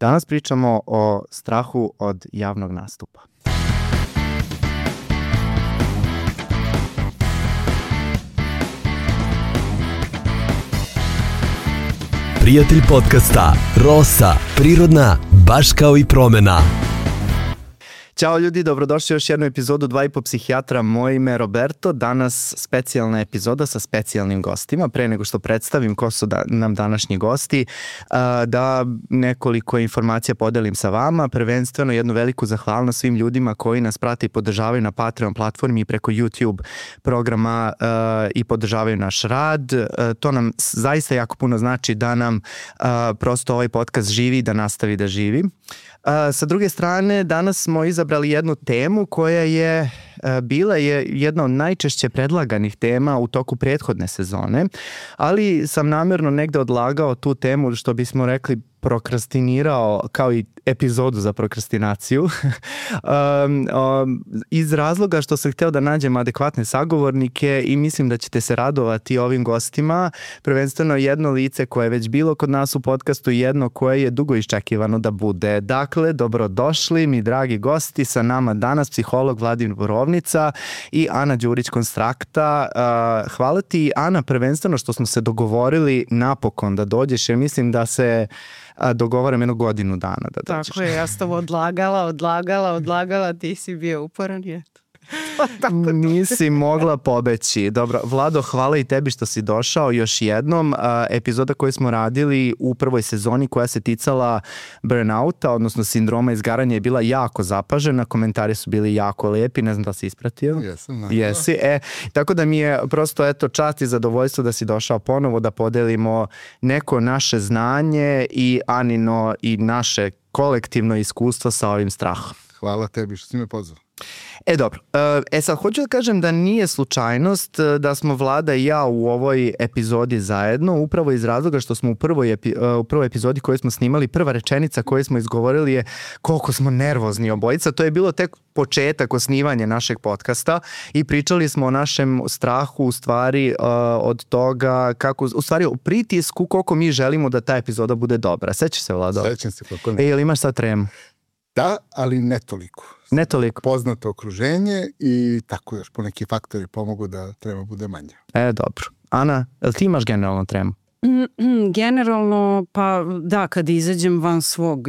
Danas pričamo o strahu od javnog nastupa. Prijatelj podcasta Rosa, prirodna, baš kao i promena. Ćao ljudi, dobrodošli u još jednu epizodu 2,5 psihijatra. Moje ime je Roberto. Danas specijalna epizoda sa specijalnim gostima. Pre nego što predstavim ko su nam današnji gosti, da nekoliko informacija podelim sa vama. Prvenstveno jednu veliku zahvalnost svim ljudima koji nas prate i podržavaju na Patreon platformi i preko YouTube programa i podržavaju naš rad. To nam zaista jako puno znači da nam prosto ovaj podcast živi i da nastavi da živi. Sa druge strane, danas smo izabrali jednu temu koja je bila jedna od najčešće predlaganih tema u toku prethodne sezone, ali sam namjerno negde odlagao tu temu, što bismo rekli prokrastinirao, kao i epizodu za prokrastinaciju, iz razloga što sam hteo da nađem adekvatne sagovornike i mislim da ćete se radovati ovim gostima. Prvenstveno jedno lice koje je već bilo kod nas u podcastu i jedno koje je dugo iščekivano da bude. Dakle, dobrodošli mi dragi gosti, sa nama danas psiholog Vladimir Borovnica i Ana Đurić-Konstrakta. Hvala ti, Ana, prvenstveno što smo se dogovorili napokon da dođeš, jer mislim da se dogovaram jednu godinu dana da dođeš. Tako je, ja sam odlagala, ti si bio uporan, je. Nisi mogla pobeći. Dobro, Vlado, hvala i tebi što si došao još jednom. Epizoda koju smo radili u prvoj sezoni koja se ticala burnouta, odnosno sindroma izgaranja, je bila jako zapažena. Komentari su bili jako lijepi, ne znam da si ispratio. Jesam. Jesi, tako da mi je prosto čast i zadovoljstvo da si došao ponovo da podelimo neko naše znanje i Anino i naše kolektivno iskustvo sa ovim strahom. Hvala tebi što si me pozvao. Dobro, sad hoću da kažem da nije slučajnost da smo Vlada i ja u ovoj epizodi zajedno, upravo iz razloga što smo u prvoj epizodi koju smo snimali, prva rečenica koju smo izgovorili je koliko smo nervozni obojica. To je bilo tek početak osnivanja našeg podcasta i pričali smo o našem strahu, u stvari od toga kako, u stvari o pritisku koliko mi želimo da ta epizoda bude dobra. Sećaš se, Vlado? Sećam se, kako ne. Jel imaš sad tremu? Da, ali ne toliko. Ne toliko. Poznato okruženje i tako još po neki faktori pomogu da trema bude manja. Dobro. Ana, jel ti imaš generalno tremu? Generalno, pa da, kad izađem van svog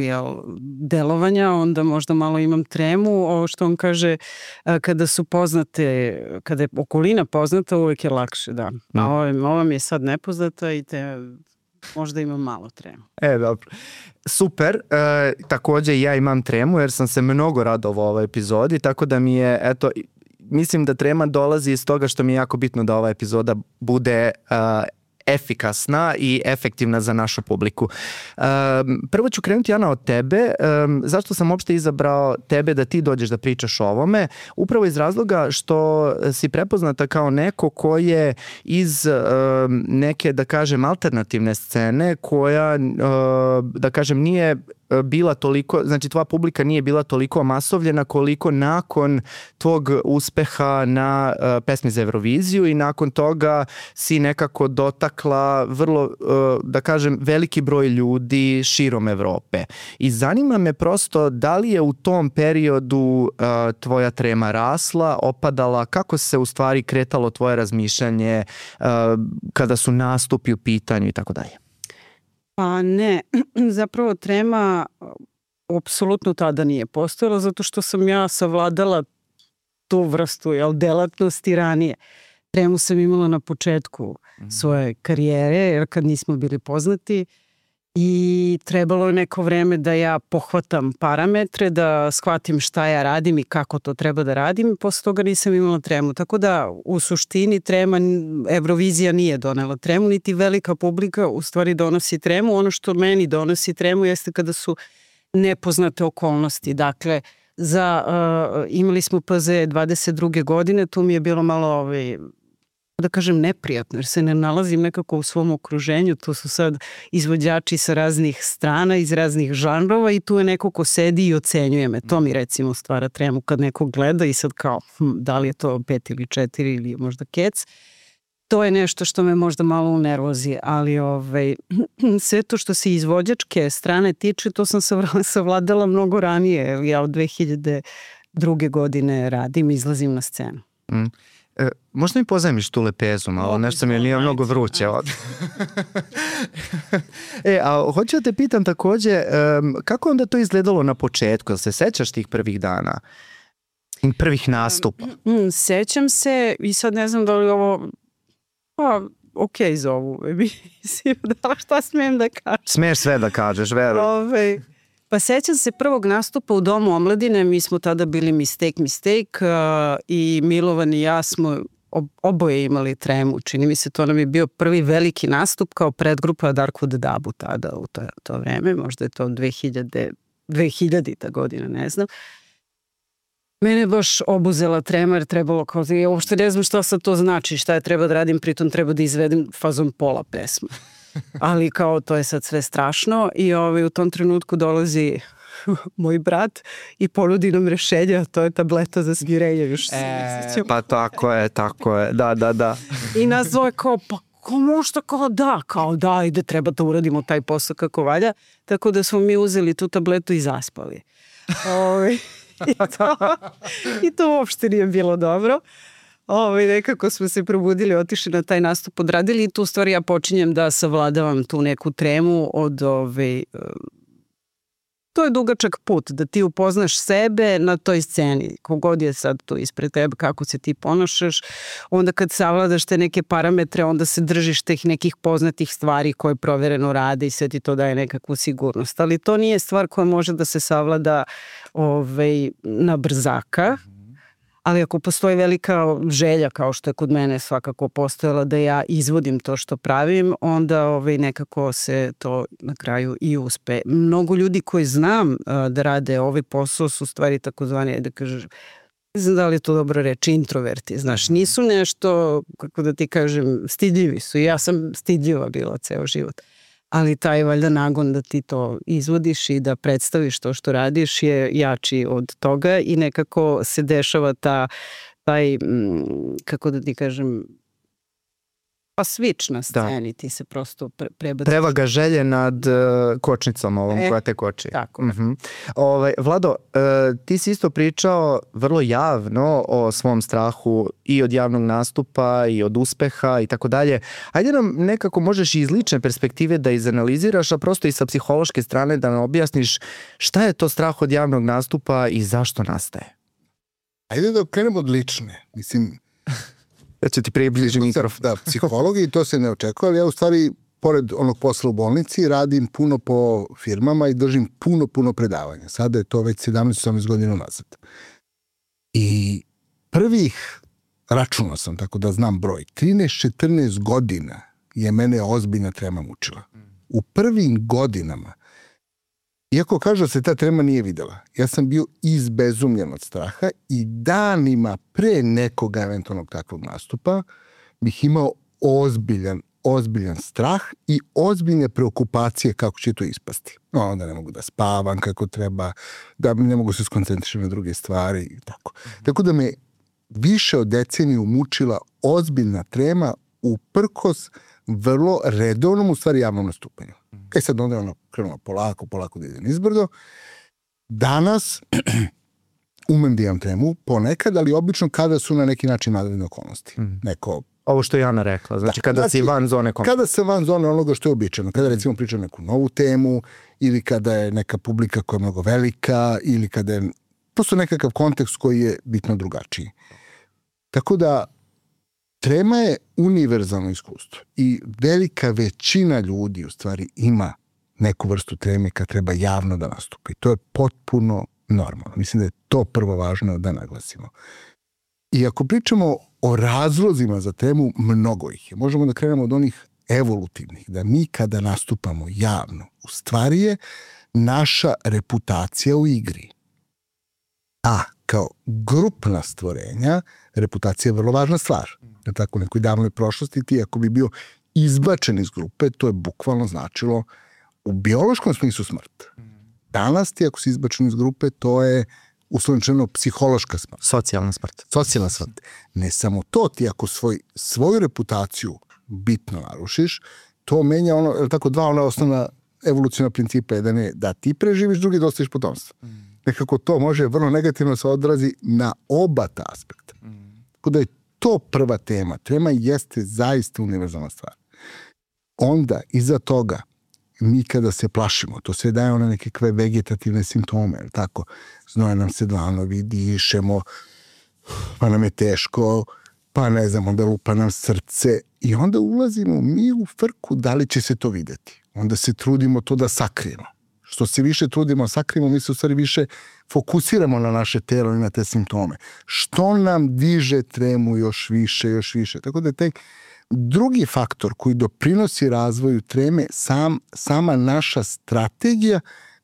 delovanja, onda možda malo imam tremu. Ovo što on kaže, kada su poznate, kada je okolina poznata, uvijek je lakše, da. A ova mi je sad nepoznata i možda imam malo tremu. Dobro. Super. Također ja imam tremu jer sam se mnogo radovao ovoj epizodi, tako da mi je, mislim da trema dolazi iz toga što mi je jako bitno da ova epizoda bude efikasna i efektivna za našu publiku. Prvo ću krenuti, Ana, od tebe. Zašto sam uopšte izabrao tebe da ti dođeš da pričaš o ovome? Upravo iz razloga što si prepoznata kao neko ko je iz neke, da kažem, alternativne scene koja, da kažem, nije bila toliko, znači tvoja publika nije bila toliko masovljena koliko nakon tvog uspeha na pesmi za Euroviziju i nakon toga si nekako dotakla vrlo, da kažem, veliki broj ljudi širom Evrope. I zanima me prosto da li je u tom periodu tvoja trema rasla, opadala, kako se u stvari kretalo tvoje razmišljanje kada su nastupi u pitanju i tako dalje? Pa ne, zapravo trema apsolutno tada nije postojala zato što sam ja savladala tu vrstu delatnosti ranije. Tremu sam imala na početku svoje karijere jer kad nismo bili poznati i trebalo je neko vreme da ja pohvatam parametre, da shvatim šta ja radim i kako to treba da radim i posle toga nisam imala tremu. Tako da u suštini trema, Eurovizija nije donela tremu, niti velika publika u stvari donosi tremu. Ono što meni donosi tremu jeste kada su nepoznate okolnosti. Dakle, imali smo PZ 22. godine, tu mi je bilo malo da kažem neprijatno jer se ne nalazim nekako u svom okruženju, tu su sad izvođači sa raznih strana, iz raznih žanrova i tu je neko ko sedi i ocenjuje me. To mi recimo stvara tremu kad neko gleda i sad kao da li je to 5 ili 4 ili možda kec. to je nešto što me možda malo unervozi, ali sve to što se izvođačke strane tiče, to sam savladala mnogo ranije. Ja od 2002. godine radim, izlazim na scenu. Možda mi pozajmiš tu lepezu malo, nešto mi nije mnogo vruće ovdje. A hoću da te pitam takođe, kako onda to izgledalo na početku? Jel se sećaš tih prvih dana? Prvih nastupa? Sećam se i sad ne znam da li ovo... Pa, okej za ovu emisiju, da šta smijem da kažem? Smiješ sve da kažeš, veruj. Pa sećam se prvog nastupa u Domu omladine, mi smo tada bili Mistake i Milovan i ja smo oboje imali tremu. Čini mi se, to nam je bio prvi veliki nastup kao predgrupa Darkwood Dabu tada u to vreme, možda je to 2000-ta godina, ne znam. Mene je baš obuzela trema jer trebalo kao, ja uopšte ne znam šta sad to znači, šta je treba da radim, pritom treba da izvedem fazom pola pesma. Ali kao to je sad sve strašno i u tom trenutku dolazi moj brat i ponudi nam rešenje, a to je tableta za smirenje. Još pa tako je, da. I nas zove kao, pa ko možda kao da, ide, treba da uradimo taj posao kako valja, tako da smo mi uzeli tu tabletu i zaspali. I to uopšte nije bilo dobro. Nekako smo se probudili, otišli na taj nastup, odradili i tu stvari ja počinjem da savladavam tu neku tremu od to je dugačak put, da ti upoznaš sebe na toj sceni, kogod je sad tu ispred tebe, kako se ti ponašaš, onda kad savladaš te neke parametre, onda se držiš teh nekih poznatih stvari koje provereno rade i sve ti to daje nekakvu sigurnost, ali to nije stvar koja može da se savlada na brzaka. Ali ako postoji velika želja, kao što je kod mene svakako postojala, da ja izvodim to što pravim, onda nekako se to na kraju i uspe. Mnogo ljudi koji znam da rade ovaj posao su stvari takozvani, da kažeš, ne znam da li je to dobro reći, introverti, znaš, nisu nešto, kako da ti kažem, stidljivi su. Ja sam stidljiva bila ceo život. Ali taj valjda nagon da ti to izvodiš i da predstaviš to što radiš je jači od toga i nekako se dešava taj, kako da ti kažem, pa switch na sceni, ti se prosto prebaciš. Prevaga želje nad kočnicom ovom koja te koči. Tako. Vlado, ti si isto pričao vrlo javno o svom strahu i od javnog nastupa i od uspeha i tako dalje. Ajde nam nekako možeš iz lične perspektive da izanaliziraš, a prosto i sa psihološke strane da nam objasniš šta je to strah od javnog nastupa i zašto nastaje. Ajde da krenemo od lične. Mislim... Ja ću ti približiti mikrofon. Da, psihologiji to se ne očekuje, ali ja u stvari, pored onog posla u bolnici, radim puno po firmama i držim puno predavanja. Sada je to već 17-18 godina nazad. I prvih, računao sam, tako da znam broj, 13-14 godina je mene ozbiljna trema mučila. U prvim godinama, iako kažu da se ta trema nije videla, ja sam bio izbezumljen od straha i danima pre nekog eventualnog takvog nastupa bih imao ozbiljan strah i ozbiljne preokupacije kako će to ispasti. Onda ne mogu da spavam kako treba, da ne mogu se skoncentrišati na druge stvari i tako. Tako da me više od deceniju mučila ozbiljna trema uprkos vrlo redovnom, u stvari javnom nastupanju. Sad onda je krenulo polako da ide nizbrdo. Danas umem da imam tremu ponekad, ali obično kada su na neki način vanredne okolnosti. Ovo što je Jana rekla, znači kada si van zone komforta. Kada sam van zone onoga što je običajno, kada recimo pričam neku novu temu ili kada je neka publika koja je mnogo velika ili kada je prosto nekakav kontekst koji je bitno drugačiji. Tako da trema je univerzalno iskustvo i velika većina ljudi u stvari ima neku vrstu treme kad treba javno da nastupa i to je potpuno normalno. Mislim da je to prvo važno da naglasimo. I ako pričamo o razlozima za tremu, mnogo ih je. Možemo da krenemo od onih evolutivnih, da mi kada nastupamo javno, u stvari je naša reputacija u igri. A kao grupna stvorenja, reputacija je vrlo važna stvar. Jer tako u nekoj davnoj prošlosti ti ako bi bio izbačen iz grupe, to je bukvalno značilo u biološkom smislu smrt. Danas ti ako si izbačen iz grupe, to je uslovničeno psihološka smrt. Socijalna smrt. Socijalna smrt. Ne samo to, ti ako svoju reputaciju bitno narušiš, to menja dva osnovna evolucijna principa. Jedan je da ti preživiš, drugi da ostaviš potomstvo. Nekako to može vrlo negativno se odrazi na oba ta aspekta. Tako da je to prva tema. Trema jeste zaista univerzalna stvar. Onda, iza toga, mi kada se plašimo, to sve daje one nekakve vegetativne simptome, tako, znoje nam se dlanovi, dišemo, pa nam je teško, pa ne znam, onda lupa nam srce i onda ulazimo mi u frku da li će se to videti. Onda se trudimo to da sakrijemo. Što se više trudimo sakrijemo, mi se u stvari više fokusiramo na naše telo i na te simptome. Što nam diže tremu još više. Tako da je taj drugi faktor koji doprinosi razvoju treme sama naša strategija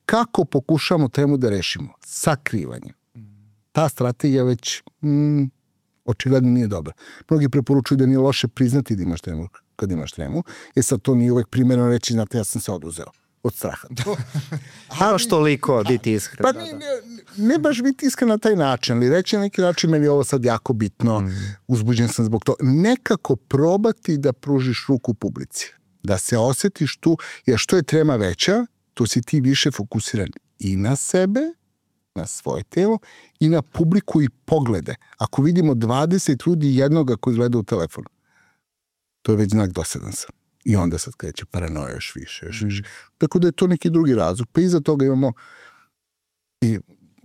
kako pokušamo tremu da rešimo. Sakrivanje. Ta strategija već očigledno nije dobra. Mnogi preporučuju da nije loše priznati da imaš tremu kad imaš tremu. Sad to nije uvek primjerno reći, znate, ja sam se oduzeo od straha. Baš toliko biti iskren. Pa ne baš biti iskren na taj način, ali reći na neki način meni je ovo sad jako bitno, uzbuđen sam zbog toga. Nekako probati da pružiš ruku publici. Da se osjetiš tu, jer što je trema veća, to si ti više fokusiran i na sebe, na svoje telo i na publiku i poglede. Ako vidimo 20 ljudi jednoga koji gleda u telefon, to je već znak dosadan sam. I onda sad kreće paranoja još više. Tako da je to neki drugi razlog. Pa iza toga imamo, i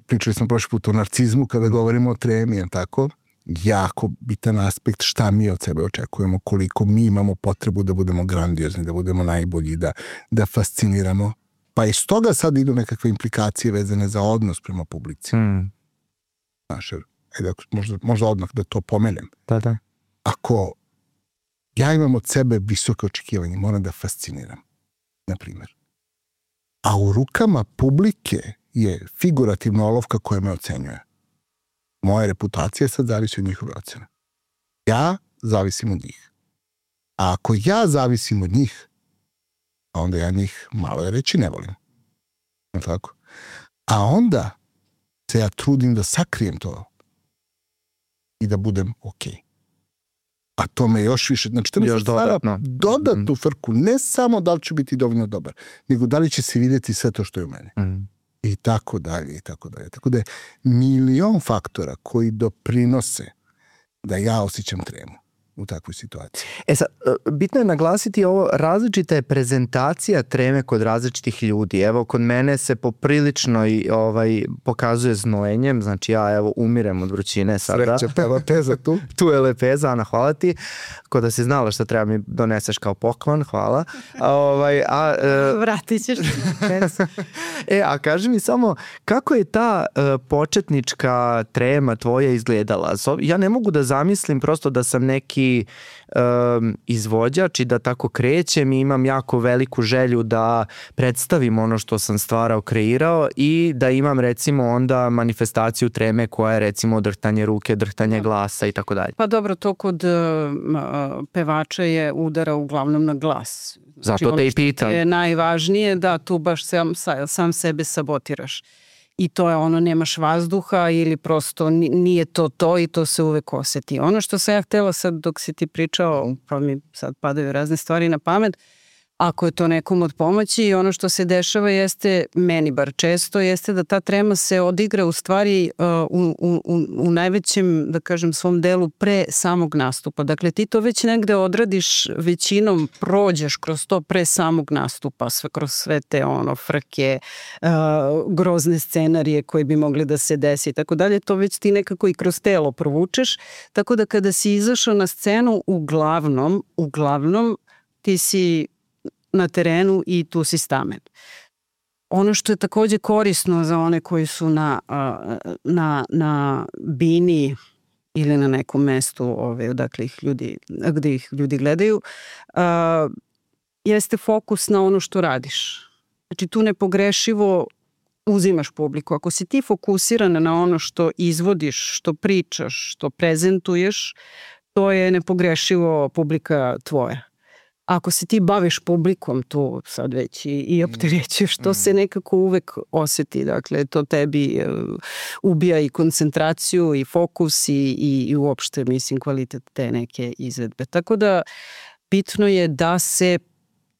pričali smo prošli put o narcizmu kada govorimo o tremi, tako, jako bitan aspekt šta mi od sebe očekujemo, koliko mi imamo potrebu da budemo grandiozni, da budemo najbolji, da fasciniramo. Pa iz toga sad idu nekakve implikacije vezane za odnos prema publici. Znaš, možda odmah da to pomenem. Da. Ako ja imam od sebe visoke očekivanje, moram da fasciniram, na primjer. A u rukama publike je figurativna olovka koja me ocenjuje. Moja reputacija sad zavisi od njihove ocene. Ja zavisim od njih. A ako ja zavisim od njih, onda ja njih malo je reći ne volim. Tako? A onda se ja trudim da sakrijem to i da budem okej. A to me još više, znači to mi stvara dodatnu frku, ne samo da li ću biti dovoljno dobar, nego da li će se vidjeti sve to što je u mene. I tako dalje. Tako da je milion faktora koji doprinose da ja osjećam tremu u takvoj situaciji. Sad, bitno je naglasiti ovo, različita je prezentacija treme kod različitih ljudi. Evo, kod mene se poprilično pokazuje znojenjem, znači ja umirem od vrućine sada. Sreća, lepeza tu. Tu je lepeza, Ana, hvala ti. Ko da si znala šta treba mi doneseš kao poklon, hvala. Vratit ćeš. A kaži mi samo, kako je ta početnička trema tvoja izgledala? Ja ne mogu da zamislim prosto da sam neki izvođač i da tako krećem i imam jako veliku želju da predstavim ono što sam stvarao, kreirao i da imam recimo onda manifestaciju treme koja je recimo drhtanje ruke, drhtanje glasa i tako dalje. Pa dobro, to kod pevača je udara uglavnom na glas. Zato te i pitam. Je najvažnije da tu baš sam sebe sabotiraš. I to je ono, nemaš vazduha ili prosto nije to i to se uvek oseti. Ono što sam ja htjela sad dok si ti pričao, pa mi sad padaju razne stvari na pamet, ako je to nekom od pomoći i ono što se dešava jeste, meni bar često, jeste da ta trema se odigra u stvari u najvećem, da kažem, svom delu pre samog nastupa. Dakle, ti to već negde odradiš, većinom prođeš kroz to pre samog nastupa, kroz sve te frke, grozne scenarije koje bi mogli da se desi i tako dalje, to već ti nekako i kroz telo provučeš, tako da kada si izašao na scenu, uglavnom ti si na terenu i tu si stamen. Ono što je takođe korisno za one koji su na bini ili na nekom mestu gde ih ljudi gledaju, jeste fokus na ono što radiš. Znači tu nepogrešivo uzimaš publiku. Ako si ti fokusiran na ono što izvodiš, što pričaš, što prezentuješ, to je nepogrešivo publika tvoja. ako se ti baviš publikom tu sad već i opterećuješ, to se nekako uvek oseti. Dakle, to tebi ubija i koncentraciju i fokus i uopšte, mislim, kvalitet te neke izvedbe. Tako da bitno je da se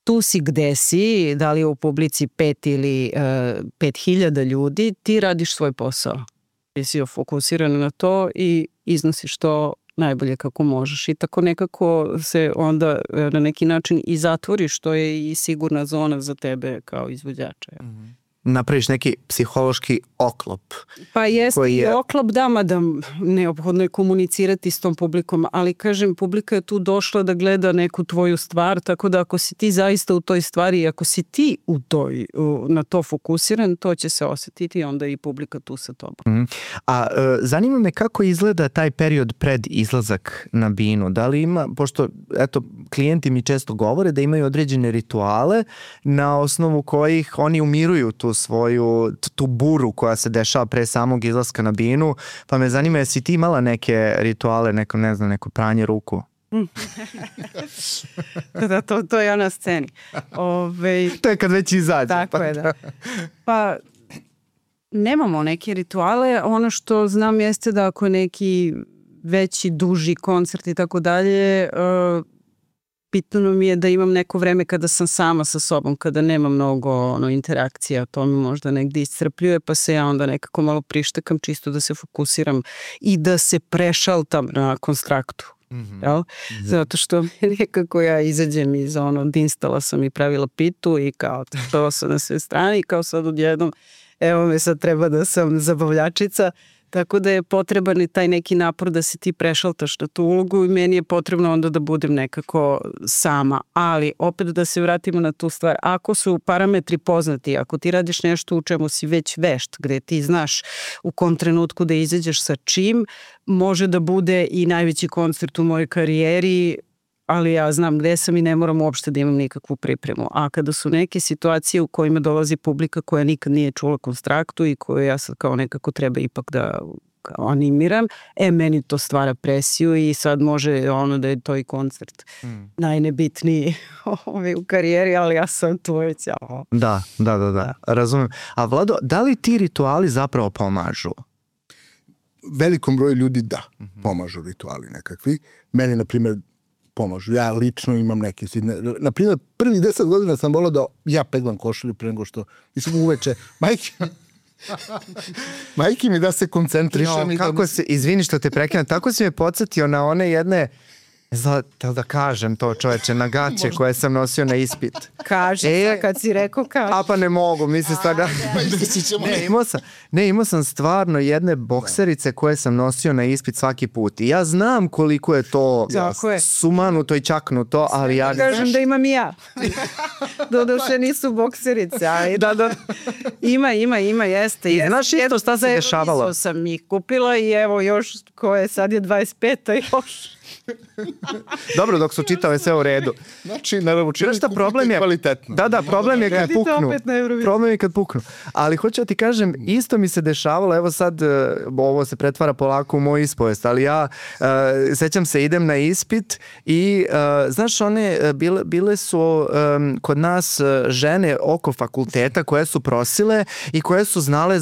tu si gde si, da li je u publici 5 ili 5000 ljudi, ti radiš svoj posao. Ti si fokusiran na to i iznosiš to najbolje kako možeš i tako nekako se onda na neki način i zatvoriš, što je i sigurna zona za tebe kao izvođača. Napraviš neki psihološki oklop. Pa jeste i oklop, da, mada neophodno je komunicirati s tom publikom, ali kažem, publika je tu došla da gleda neku tvoju stvar, tako da ako si ti zaista u toj stvari i ako si ti na to fokusiran, to će se osetiti i onda i publika tu sa tobom. A zanima me kako izgleda taj period pred izlazak na binu. Da li ima, pošto eto, klijenti mi često govore da imaju određene rituale na osnovu kojih oni umiruju tu buru koja se dešava pre samog izlaska na binu, pa me zanima jesi ti imala neke rituale, neko pranje ruku? Da, to je ja na sceni. To je kad već izađe. Tako je, da. Pa nemamo neke rituale, ono što znam jeste da ako je neki veći, duži koncert i tako dalje, bitno mi je da imam neko vreme kada sam sama sa sobom, kada nema mnogo interakcija, to mi možda negdje iscrpljuje, pa se ja onda nekako malo prištekam čisto da se fokusiram i da se prešaltam na konstraktu. Jel? Zato što nekako ja izađem iz instala sam i pravila pitu i kao to sam na sve strane i kao sad odjednom evo me sad treba da sam zabavljačica. Tako da je potreban i taj neki napor da se ti prešaltaš na tu ulogu i meni je potrebno onda da budem nekako sama. Ali opet da se vratimo na tu stvar. Ako su parametri poznati, ako ti radiš nešto u čemu si već vešt, gde ti znaš u kom trenutku da izađeš sa čim, može da bude i najveći koncert u mojoj karijeri, ali ja znam gde sam i ne moram uopšte da imam nikakvu pripremu. A kada su neke situacije u kojima dolazi publika koja nikad nije čula konstraktu i koju ja sad kao nekako treba ipak da animiram, meni to stvara presiju i sad može da je to i koncert najnebitniji u karijeri, ali ja sam tu već. Da, razumem. A Vlado, da li ti rituali zapravo pomažu? Velikom broju ljudi da, pomažu rituali nekakvi. Meni, na primjer, pomažu. Ja lično imam neke. Na primjer, prvih 10 godina sam volao da ja peglam košulju pre nego što uveče. Majke mi da se koncentrišem. Izvini što te prekinem, tako si me podsjetio na one jedne, da kažem to čoveče, na gaće koje sam nosio na ispit. Kaži, kad si rekao kaži. A pa ne mogu, mislim stvarno. Imao sam stvarno jedne bokserice koje sam nosio na ispit svaki put. I ja znam koliko je to sumanuto i čaknuto, ali ja... Kažem da imam i ja. Doduše nisu bokserice, ali ima, jeste. Znaš isto šta se dešavalo? Za sam ih kupila i evo još, koje sad je 25-a još. Dobro, dok su čitave sve u redu. Znači, naravno, problem je kvalitetno. Da, problem je kad puknu. Problem je kad puknu. Ali hoću da ti kažem, isto mi se dešavalo, evo sad ovo se pretvara polako u moj ispovest, ali ja sećam se, idem na ispit i znaš, one bile su kod nas žene oko fakulteta koje su prosile i koje su znale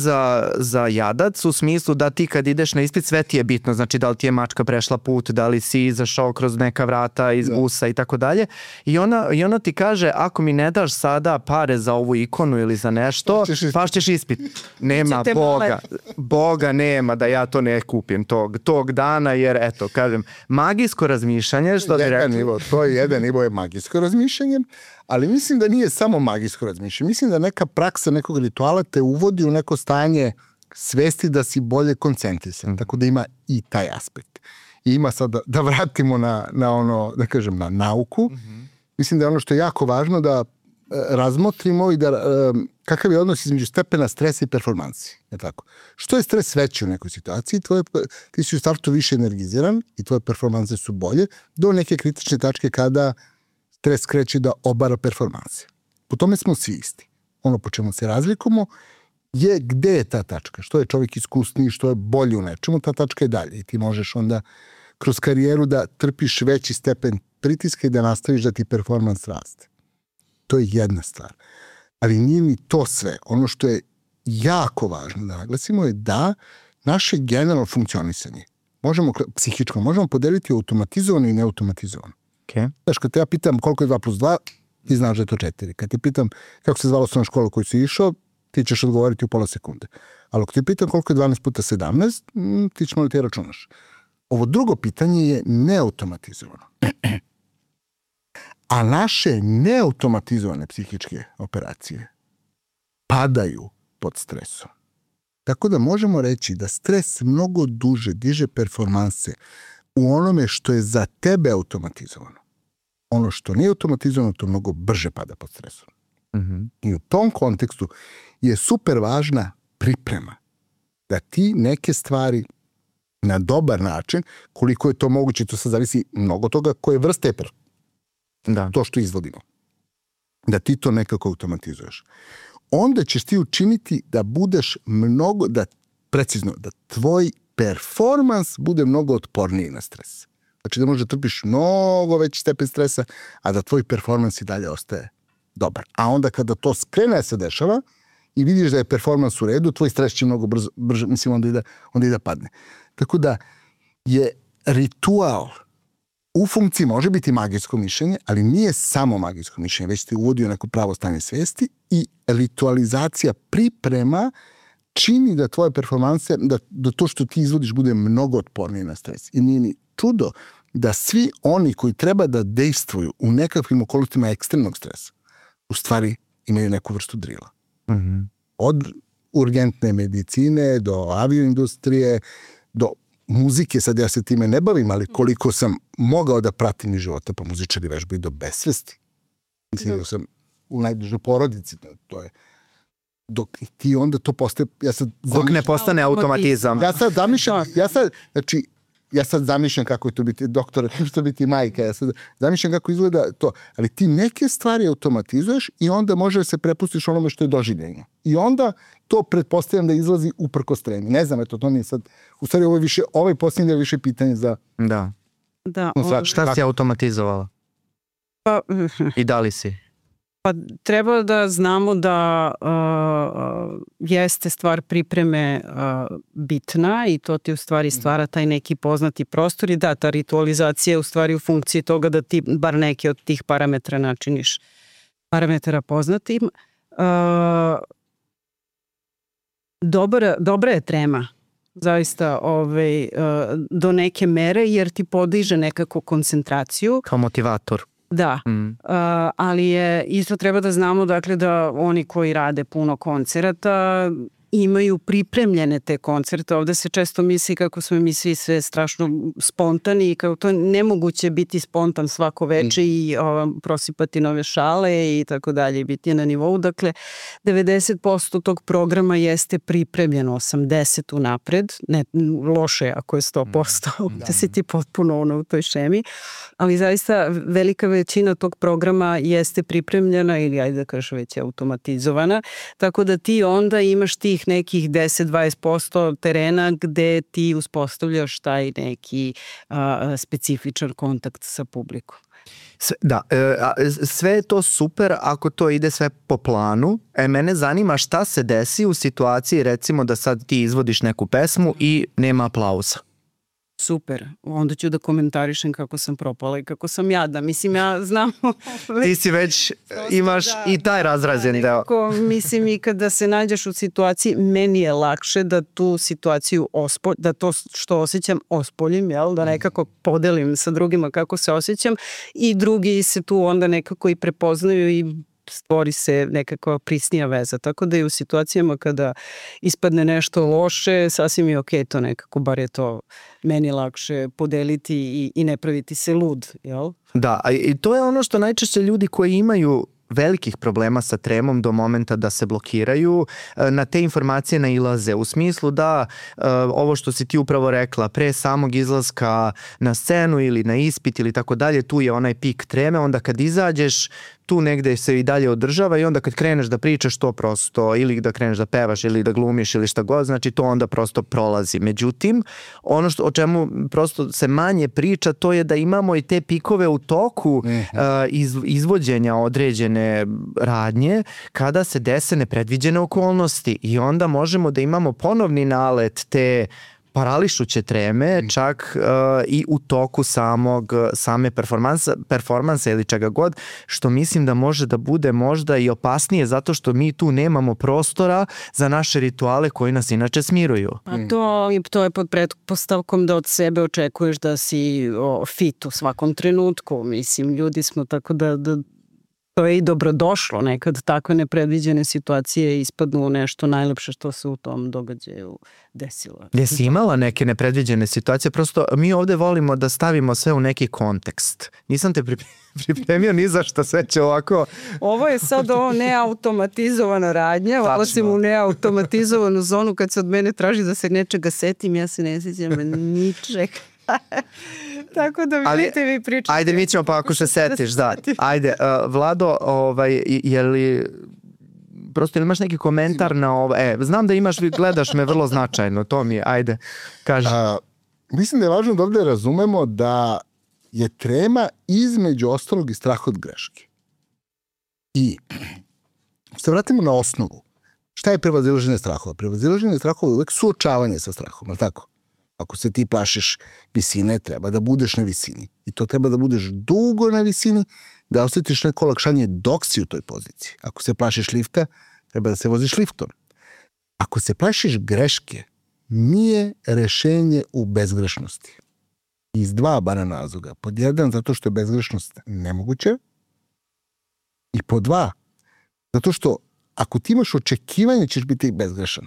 za jadac, u smislu da ti kad ideš na ispit sve ti je bitno, znači da li ti je mačka prešla put, da li si izašao kroz neka vrata iz busa i tako dalje. I ona ti kaže, ako mi ne daš sada pare za ovu ikonu ili za nešto, pašćeš ispit. Nema Boga nema da ja to ne kupim tog dana, jer eto, kažem, magijsko razmišljanje, što ti rekao. To je jedan nivo je magijsko razmišljanje, ali mislim da nije samo magijsko razmišljanje. Mislim da neka praksa nekog rituala te uvodi u neko stanje svesti da si bolje koncentrisan, tako da ima i taj aspekt. I ima sad da vratimo na ono, da kažem, na nauku. Mislim da je ono što je jako važno da razmotrimo i da kakav je odnos između stepena stresa i performansi. Je tako? Što je stres veći u nekoj situaciji, ti si u startu više energiziran i tvoje performanse su bolje, do neke kritične tačke kada stres kreće da obara performanse. Po tome smo svi isti. Ono po čemu se razlikujemo je gde je ta tačka, što je čovjek iskusniji, što je bolji u nečemu, ta tačka je dalje i ti možeš onda kroz karijeru da trpiš veći stepen pritiska i da nastaviš da ti performans raste. To je jedna stvar. Ali nije ni to sve. Ono što je jako važno da naglasimo je da naše generalno funkcionisanje psihičko možemo podeliti automatizovano i neautomatizovano. Okay. Znaš, kad te ja pitam koliko je 2 plus 2, ti znaš da je to 4. Kad te pitam kako se zvala osnovna škola koju si išao, ti ćeš odgovoriti u pola sekunde. Ali ako te pitam koliko je 12 puta 17, ti ćeš ti računaš. Ovo drugo pitanje je neautomatizovano. A naše neautomatizovane psihičke operacije padaju pod stresom. Tako da možemo reći da stres mnogo duže diže performanse u onome što je za tebe automatizovano. Ono što nije automatizovano, to mnogo brže pada pod stresom. I u tom kontekstu je super važna priprema. Da ti neke stvari na dobar način, koliko je to moguće, to sad zavisi mnogo toga koje vrste to što izvodimo. Da ti to nekako automatizuješ. Onda ćeš ti učiniti da budeš da tvoj performans bude mnogo otporniji na stres. Znači da možda trpiš mnogo veći stepen stresa, a da tvoj performans i dalje ostaje dobar. A onda kada to skrene se dešava i vidiš da je performans u redu, tvoj stres će mnogo brže, mislim, onda i da padne. Tako da je ritual u funkciji može biti magijsko mišljenje, ali nije samo magijsko mišljenje, već te uvodi u neko pravo stanje svesti i ritualizacija priprema čini da tvoje performanse, da to što ti izvodiš bude mnogo otpornije na stres. I nije ni čudo da svi oni koji treba da dejstvuju u nekakvim okolnostima ekstremnog stresa, u stvari imaju neku vrstu drila. Od urgentne medicine do avioindustrije, do muzike, sad ja se time ne bavim, ali koliko sam mogao da pratim iz života, pa muzičari vežbaju do besvesti. Mislim da sam u najbližoj porodici, to je dok ti onda to postaje... Dok ne postane automatizam. Ja sad zamišljam kako je to biti doktor, kako je to biti majka, ja sad zamišljam kako izgleda to, ali ti neke stvari automatizuješ i onda može da se prepustiš onome što je doživljenje. I onda to pretpostavljam da izlazi uprkos tremi. Ne znam, eto, to nije sad... U stvari, ovaj posljednji je više pitanje za... Da. Šta si automatizovala? I da li si? Pa treba da znamo da jeste stvar pripreme bitna i to ti u stvari stvara taj neki poznati prostor i da, ta ritualizacija je u stvari u funkciji toga da ti bar neke od tih parametra načiniš parametara poznatim. Dobra je trema zaista do neke mere jer ti podiže nekako koncentraciju. Kao motivator. Da, ali je isto treba da znamo dakle da oni koji rade puno koncerata imaju pripremljene te koncerte. Ovde se često misli kako smo mi svi sve strašno spontani i kao to nemoguće biti spontan svako veče i prosipati nove šale i tako dalje i biti na nivou. Dakle, 90% tog programa jeste pripremljeno, 80% unapred. Ne, loše je ako je 100%, da si ti potpuno u toj šemi. Ali zaista velika većina tog programa jeste pripremljena ili ajde da kažem već je automatizovana. Tako da ti onda imaš tih nekih 10-20% terena gde ti uspostavljaš taj neki specifičan kontakt sa publikom. Sve je to super ako to ide sve po planu. Mene zanima šta se desi u situaciji recimo da sad ti izvodiš neku pesmu i nema aplauza. Super, onda ću da komentarišem kako sam propala i kako sam jadna. Mislim, ja znam... Ti si već, imaš i taj razrađen deo. Mislim, i kada se nađeš u situaciji, meni je lakše da tu situaciju da to što osjećam ospoljim, jel? Da nekako podelim sa drugima kako se osjećam i drugi se tu onda nekako i prepoznaju i stvori se nekakva prisnija veza. Tako da i u situacijama kada ispadne nešto loše, sasvim je okej to nekako, bar je to meni lakše podeliti i ne praviti se lud, jel? Da, i to je ono što najčešće ljudi koji imaju velikih problema sa tremom do momenta da se blokiraju, na te informacije nailaze u smislu da ovo što si ti upravo rekla, pre samog izlaska na scenu ili na ispit ili tako dalje, tu je onaj pik treme, onda kad izađeš tu negde se i dalje održava i onda kad kreneš da pričaš to prosto, ili da kreneš da pevaš ili da glumiš ili šta god, znači to onda prosto prolazi. Međutim, ono o čemu prosto se manje priča, to je da imamo i te pikove u toku izvođenja određene radnje kada se dese nepredviđene okolnosti i onda možemo da imamo ponovni nalet te parališuće treme, čak i u toku same performansa ili čega god, što mislim da može da bude možda i opasnije zato što mi tu nemamo prostora za naše rituale koji nas inače smiruju. Pa to je pod pretpostavkom da od sebe očekuješ da si fit u svakom trenutku. Mislim, ljudi smo tako da to je i dobrodošlo. Nekad takve nepredviđene situacije ispadnu u nešto najlepše što se u tom događaju desilo. Jesi imala neke nepredviđene situacije? Prosto mi ovde volimo da stavimo sve u neki kontekst. Nisam te pripremio ni za šta, sve će ovako... Ovo je sad neautomatizovana radnja. Ulazim u neautomatizovanu zonu kad se od mene traži da se nečega setim, ja se ne sjećam ničeg. Tako da vidite vi pričate. Ajde, mi ćemo pa ako se setiš, da. Ajde, Vlado, je li prosto ili imaš neki komentar na ovo? Znam da imaš, gledaš me vrlo značajno, to mi je, ajde, kaži. Mislim da je važno da ovde razumemo da je trema između ostalog i strah od greške. I se vratimo na osnovu. Šta je prevazilaženje strahova? Prevazilaženje strahova je uvek suočavanje sa strahom, ali tako? Ako se ti plašiš visine, treba da budeš na visini. I to treba da budeš dugo na visini, da osjetiš neko olakšanje dok si u toj poziciji. Ako se plašiš lifta, treba da se voziš liftom. Ako se plašiš greške, nije rešenje u bezgrešnosti. Iz dva barem razloga. Pod jedan, zato što je bezgrešnost nemoguća. I pod dva, zato što ako ti imaš očekivanje, ćeš biti bezgrešan.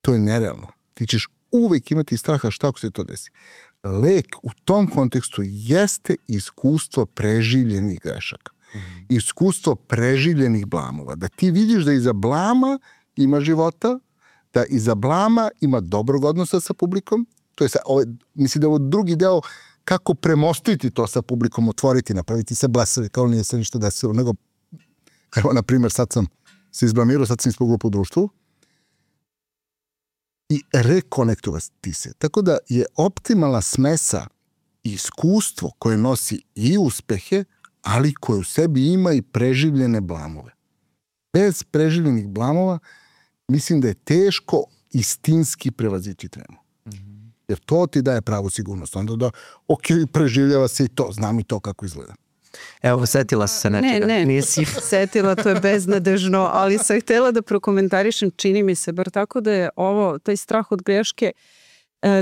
To je nerealno. Ti ćeš uvek imati straha šta ako se to desi. Lek u tom kontekstu jeste iskustvo preživljenih grešaka. Iskustvo preživljenih blamova. Da ti vidiš da iza blama ima života, da iza blama ima dobrog odnosa sa publikom. To je mislim da je ovo drugi deo kako premostiti to sa publikom, otvoriti, napraviti se blesavi, kao nije se ništa desilo, nego evo, na primjer, sad sam se izblamirao, sad sam ispogledao po društvu, i rekonektovati se. Tako da je optimalna smesa iskustvo koje nosi i uspehe, ali koje u sebi ima i preživljene blamove. Bez preživljenih blamova mislim da je teško istinski prevazići tremu. Jer to ti daje pravu sigurnost. Onda da, preživljava se i to, znam i to kako izgleda. Evo, setila se nečega. Ne, nisi setila, to je beznadežno, ali sam htjela da prokomentarišem, čini mi se, bar tako da je taj strah od greške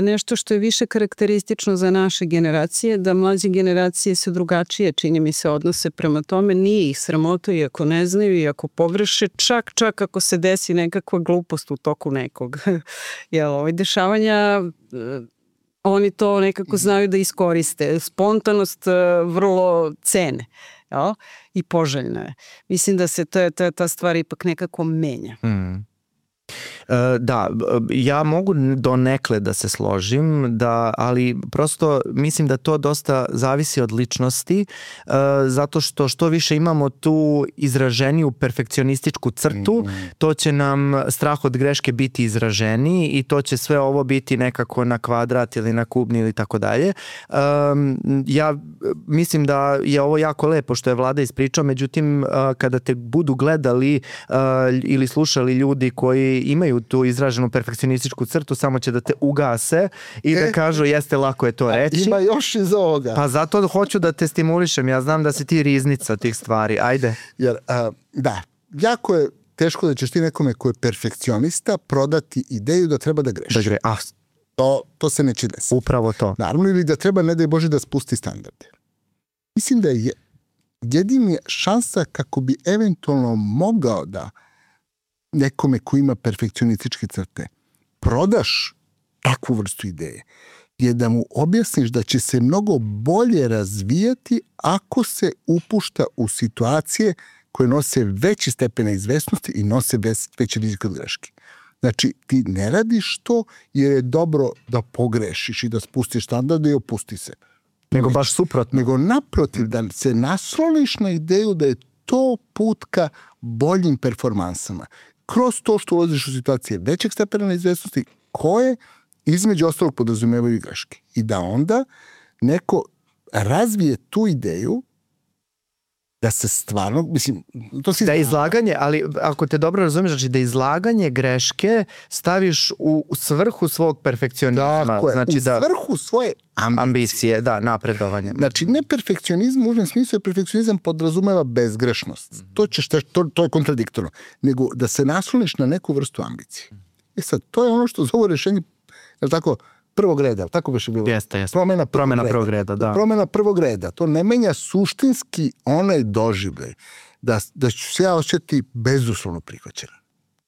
nešto što je više karakteristično za naše generacije, da mlađe generacije se drugačije, čini mi se, odnose prema tome, nije ih sramota i ako ne znaju i ako pogreše, čak ako se desi nekakva glupost u toku nekog dešavanja, oni to nekako znaju da iskoriste. Spontanost vrlo cene i poželjna je. Mislim da se ta stvar ipak nekako menja. Da, ja mogu donekle da se složim, ali prosto mislim da to dosta zavisi od ličnosti, zato što više imamo tu izraženiju perfekcionističku crtu, to će nam strah od greške biti izraženiji i to će sve ovo biti nekako na kvadrat ili na kubni ili tako dalje. Ja mislim da je ovo jako lepo što je Vlada ispričao, međutim kada te budu gledali ili slušali ljudi koji imaju tu izraženu perfekcionističku crtu, samo će da te ugase i da kažu jeste, lako je to reći. Ima još iz ovoga. Pa zato hoću da te stimulišem, ja znam da si ti riznica tih stvari, ajde. Jer, da, jako je teško da ćeš ti nekome ko je perfekcionista prodati ideju da treba da greši. To se neće desiti. Upravo to. Naravno, ili da treba, ne daj Bože, da spusti standarde. Mislim da je jedina šansa kako bi eventualno mogao da nekome ko ima perfekcionističke crte prodaš takvu vrstu ideje je da mu objasniš da će se mnogo bolje razvijati ako se upušta u situacije koje nose veći stepen izvesnosti i nose veći rizik od greške. Znači, ti ne radiš to jer je dobro da pogrešiš i da spustiš standarde i opusti se. Nego baš suprotno. Nego naprotiv, da se nasloniš na ideju da je to put ka boljim performansama. Kroz to što ulaziš u situacije većeg stepena neizvesnosti, koje između ostalog podrazumevaju i greške. I da onda neko razvije tu ideju da se stvarno, mislim, to si... Da izlaganje, ali ako te dobro razumiješ, znači da izlaganje greške staviš u svrhu svog perfekcionizma. Tako je, znači u svrhu svoje ambicije, da, napredovanje. Znači, ne perfekcionizm, u užem smislu je perfekcionizam podrazumeva bezgrešnost. To je kontradiktorno. Nego da se nasloniš na neku vrstu ambicije. Sad, to je ono što zove rešenje, je li tako, prvog reda, tako biš je bilo? Jeste. Promena prvog reda, da. Promena prvog reda, to ne menja suštinski onaj doživljaj da ću se ja osjetiti bezuslovno prihvaćena.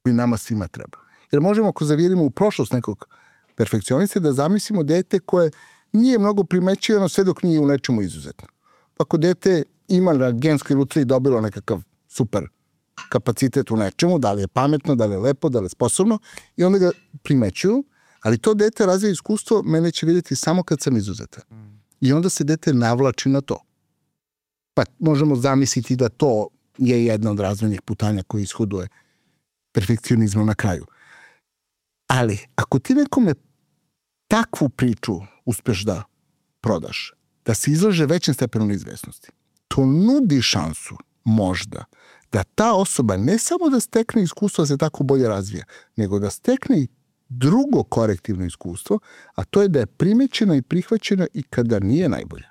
Koji nama svima treba. Jer možemo, ako zavirimo u prošlost nekog perfekcionista, da zamislimo dete koje nije mnogo primećivano sve dok nije u nečemu izuzetno. Pa ako dete ima na genskoj lutriji dobilo nekakav super kapacitet u nečemu, da li je pametno, da li je lepo, da li je sposobno, i onda ga primećuju, ali to dete razvija iskustvo, mene će vidjeti samo kad sam izuzetan. I onda se dete navlači na to. Pa možemo zamisliti da to je jedna od razvojnih putanja koji ishoduje perfekcionizmom na kraju. Ali, ako ti nekome takvu priču uspeš da prodaš, da se izlaže većem stepenu neizvesnosti, to nudi šansu, možda, da ta osoba ne samo da stekne iskustvo da se tako bolje razvija, nego da stekne i drugo korektivno iskustvo, a to je da je primećena i prihvaćena i kada nije najbolja.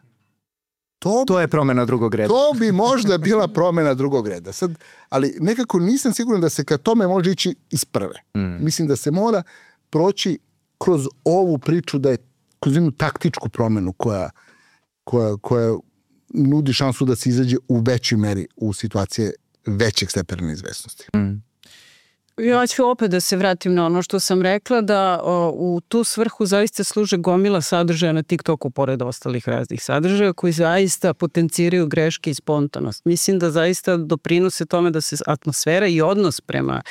To je promena drugog reda. To bi možda bila promena drugog reda. Sad, ali nekako nisam siguran da se ka tome može ići iz prve. Mislim da se mora proći kroz ovu priču, da je kroz jednu taktičku promenu koja nudi šansu da se izađe u većoj meri u situacije većeg stepena neizvesnosti. Ja ću opet da se vratim na ono što sam rekla, da u tu svrhu zaista služe gomila sadržaja na TikToku, pored ostalih raznih sadržaja, koji zaista potenciraju greške i spontanost. Mislim da zaista doprinose tome da se atmosfera i odnos prema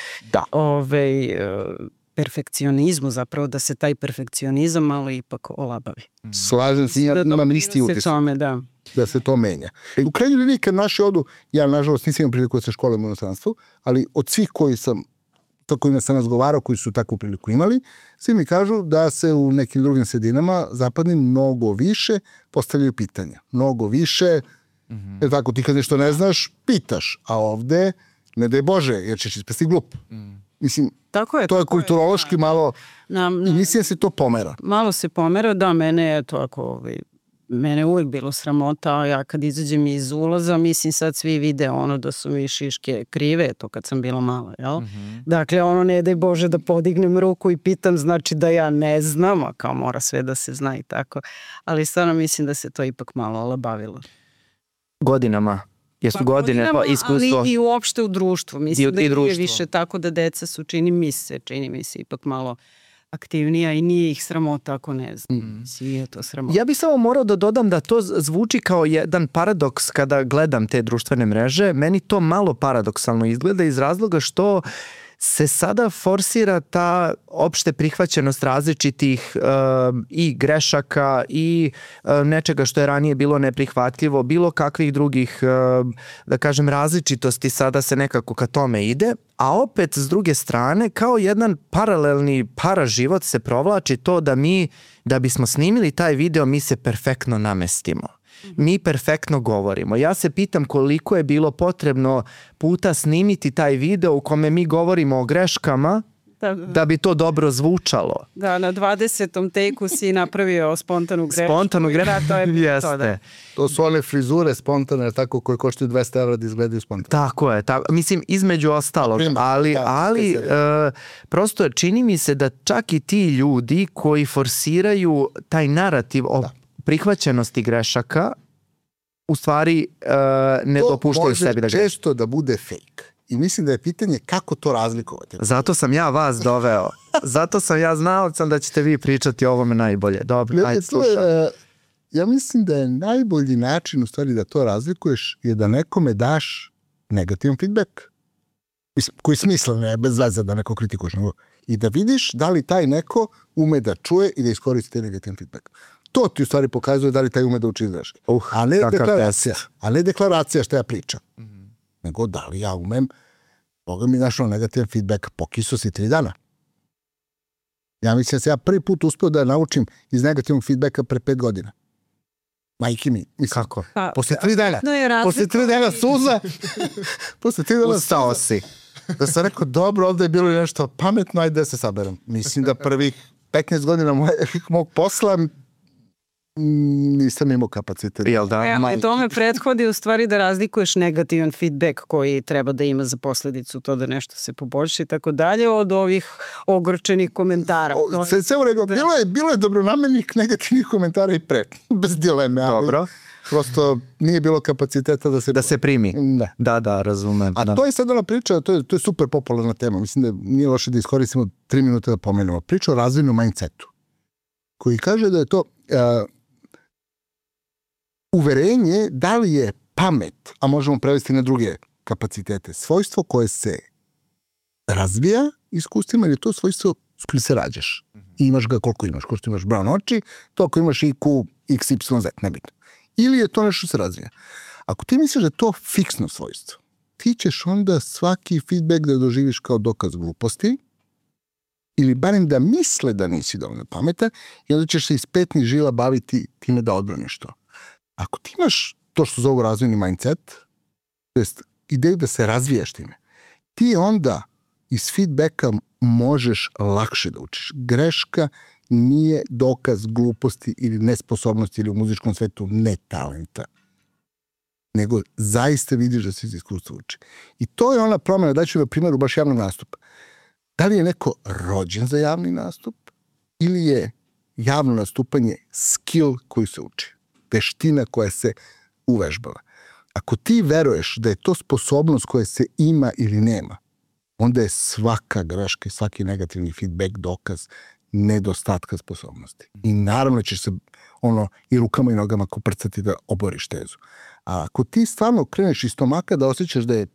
perfekcionizmu, zapravo da se taj perfekcionizam malo ipak olabavi. Slažem se, ja imam isti utisak. Da se to menja. U krajnjoj liniji, kad naši odu, ja nažalost nisam imam priliku da se školim u inostranstvu, ali od svih kojima sam razgovarao, koji su takvu priliku imali, svi mi kažu da se u nekim drugim sredinama zapadnim mnogo više postavljaju pitanja. Mnogo više, jer tako ti kad nešto ne znaš, pitaš, a ovde, ne daj Bože, jer ćeš ispasti glup. Mislim, to je kulturološki malo, i mislim da se to pomera. Malo se pomera, da, mene je to mene uvijek bilo sramota, a ja kad izađem iz ulaza, mislim sad svi vide ono da su mi šiške krive, to kad sam bila mala, jel? Dakle, ono ne daj Bože da podignem ruku i pitam, znači da ja ne znam, a kao mora sve da se zna i tako. Ali stvarno mislim da se to ipak malo olabavilo. Godinama. Jesu godine, pa iskustvo. Ali i uopšte u društvu. Mislim da je više tako da deca su, čini mi se ipak malo aktivnija i nije ih sramota ako ne znam. Je to sramota. Ja bih samo morao da dodam da to zvuči kao jedan paradoks kada gledam te društvene mreže. Meni to malo paradoksalno izgleda iz razloga što se sada forsira ta opšte prihvaćenost različitih i grešaka i nečega što je ranije bilo neprihvatljivo, bilo kakvih drugih, da kažem, različitosti, sada se nekako ka tome ide, a opet s druge strane kao jedan paralelni paraživot se provlači to da bismo snimili taj video, mi se perfektno namestimo. Mi perfektno govorimo. Ja se pitam koliko je bilo potrebno puta snimiti taj video u kome mi govorimo o greškama da bi to dobro zvučalo. Da, na 20. teku si napravio spontanu grešku. Spontanu grešku, jeste. To su one frizure spontane, tako, koje koštaju 200 € da izgledaju spontane. Tako je, mislim između ostalog, ali prosto čini mi se da čak i ti ljudi koji forsiraju taj narativ o prihvaćenosti grešaka u stvari ne dopuštaju sebi da greši. To može često da bude fake. I mislim da je pitanje kako to razlikovati. Zato sam ja vas doveo. Zato sam ja znao da ćete vi pričati o ovome najbolje. Dobro, ajde slušam. Ja mislim da je najbolji način u stvari da to razlikuješ je da nekome daš negativan feedback. Koji smisla ne, bez veze da neko kritikuješ. I da vidiš da li taj neko ume da čuje i da iskoristi taj negativan feedback. to ti u stvari pokazuje da li taj ume da uči greške. A ne deklaracija što ja pričam. Nego da li ja umem, Boga mi našao negativan feedback, pokisao si 3 dana. Ja mislim da se ja prvi put uspeo da naučim iz negativnog feedbacka pre 5 godina. Majke mi, mislim. Kako? Posle 3 dana. Posle 3 dana suza. Posle 3 dana ustao si. Da sam rekao, dobro, ovde je bilo nešto pametno, ajde da se saberem. Mislim da prvih 15 godina mog posla nisam imao kapacitet. Jel da? Tome prethodi u stvari da razlikuješ negativan feedback koji treba da ima za posledicu to da nešto se poboljša i tako dalje od ovih ogorčenih komentara. Sve u redu, bilo je dobronamernih negativnih komentara i pre, bez dileme. Dobro. Prosto nije bilo kapaciteta da se primi. Ne. Da, razumem. A to je sad ona priča, to je super popularna tema. Mislim da nije loše da iskoristimo 3 minuta da pomenemo. Priča o razvojnom mindsetu, koji kaže da je to uverenje da li je pamet, a možemo prevesti na druge kapacitete, svojstvo koje se razvija iskustvima, ili je to svojstvo s kojim se rađaš. I imaš ga koliko imaš. Ko što imaš brown oči, to ako imaš IQ, XYZ, nebitno. Ili je to nešto se razvija. Ako ti misliš da je to fiksno svojstvo, ti ćeš onda svaki feedback da doživiš kao dokaz gluposti, ili barem da misle da nisi dovoljno pametan, i onda ćeš se iz petnih žila baviti time da odbraniš to. Ako ti imaš to što zovu razvojni mindset, to jest ideju da se razvijaš time, ti onda iz feedbacka možeš lakše da učiš. Greška nije dokaz gluposti ili nesposobnosti ili u muzičkom svetu ne talenta, nego zaista vidiš da se iz iskustva uči. I to je ona promjena, daću na primjeru baš javnog nastupa. Da li je neko rođen za javni nastup ili je javno nastupanje skill koji se uči, veština koja se uvežbava. Ako ti veruješ da je to sposobnost koja se ima ili nema, onda je svaka greška i svaki negativni feedback dokaz nedostatka sposobnosti. I naravno ćeš se i rukama i nogama koprcati da oboriš tezu. A ako ti stvarno kreneš iz stomaka da osjećaš da je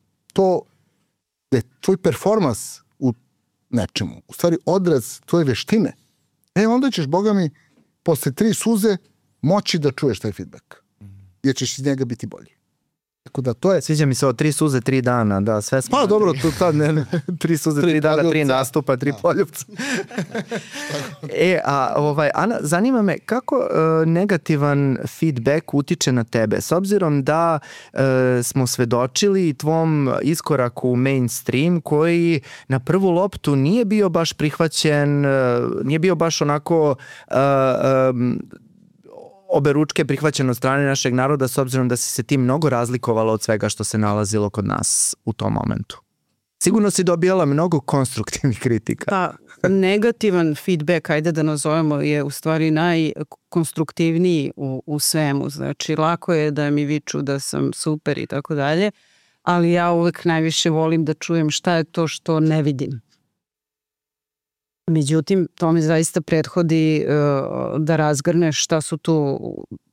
tvoj performans u nečemu, u stvari odraz tvoje veštine, onda ćeš, Boga mi, posle 3 suze moći da čuješ taj feedback. Jer ćeš iz njega biti bolji. Tako da to je... Sviđa mi se ovo 3 suze, 3 dana, da, sve smo... Pa dobro, to tad ne. 3 suze, 3 dana, 3 nastupa, 3 poljupca. Ana, zanima me kako negativan feedback utiče na tebe, s obzirom da smo svedočili tvom iskoraku u mainstream koji na prvu loptu nije bio baš prihvaćen, nije bio baš onako... oberučke prihvaćeno od strane našeg naroda, s obzirom da si se ti mnogo razlikovala od svega što se nalazilo kod nas u tom momentu. Sigurno si dobijala mnogo konstruktivnih kritika. Da, negativan feedback, ajde da nazovemo, je u stvari najkonstruktivniji u svemu. Znači, lako je da mi viču da sam super i tako dalje, ali ja uvek najviše volim da čujem šta je to što ne vidim. Međutim, to mi zaista prethodi da razgrneš šta su tu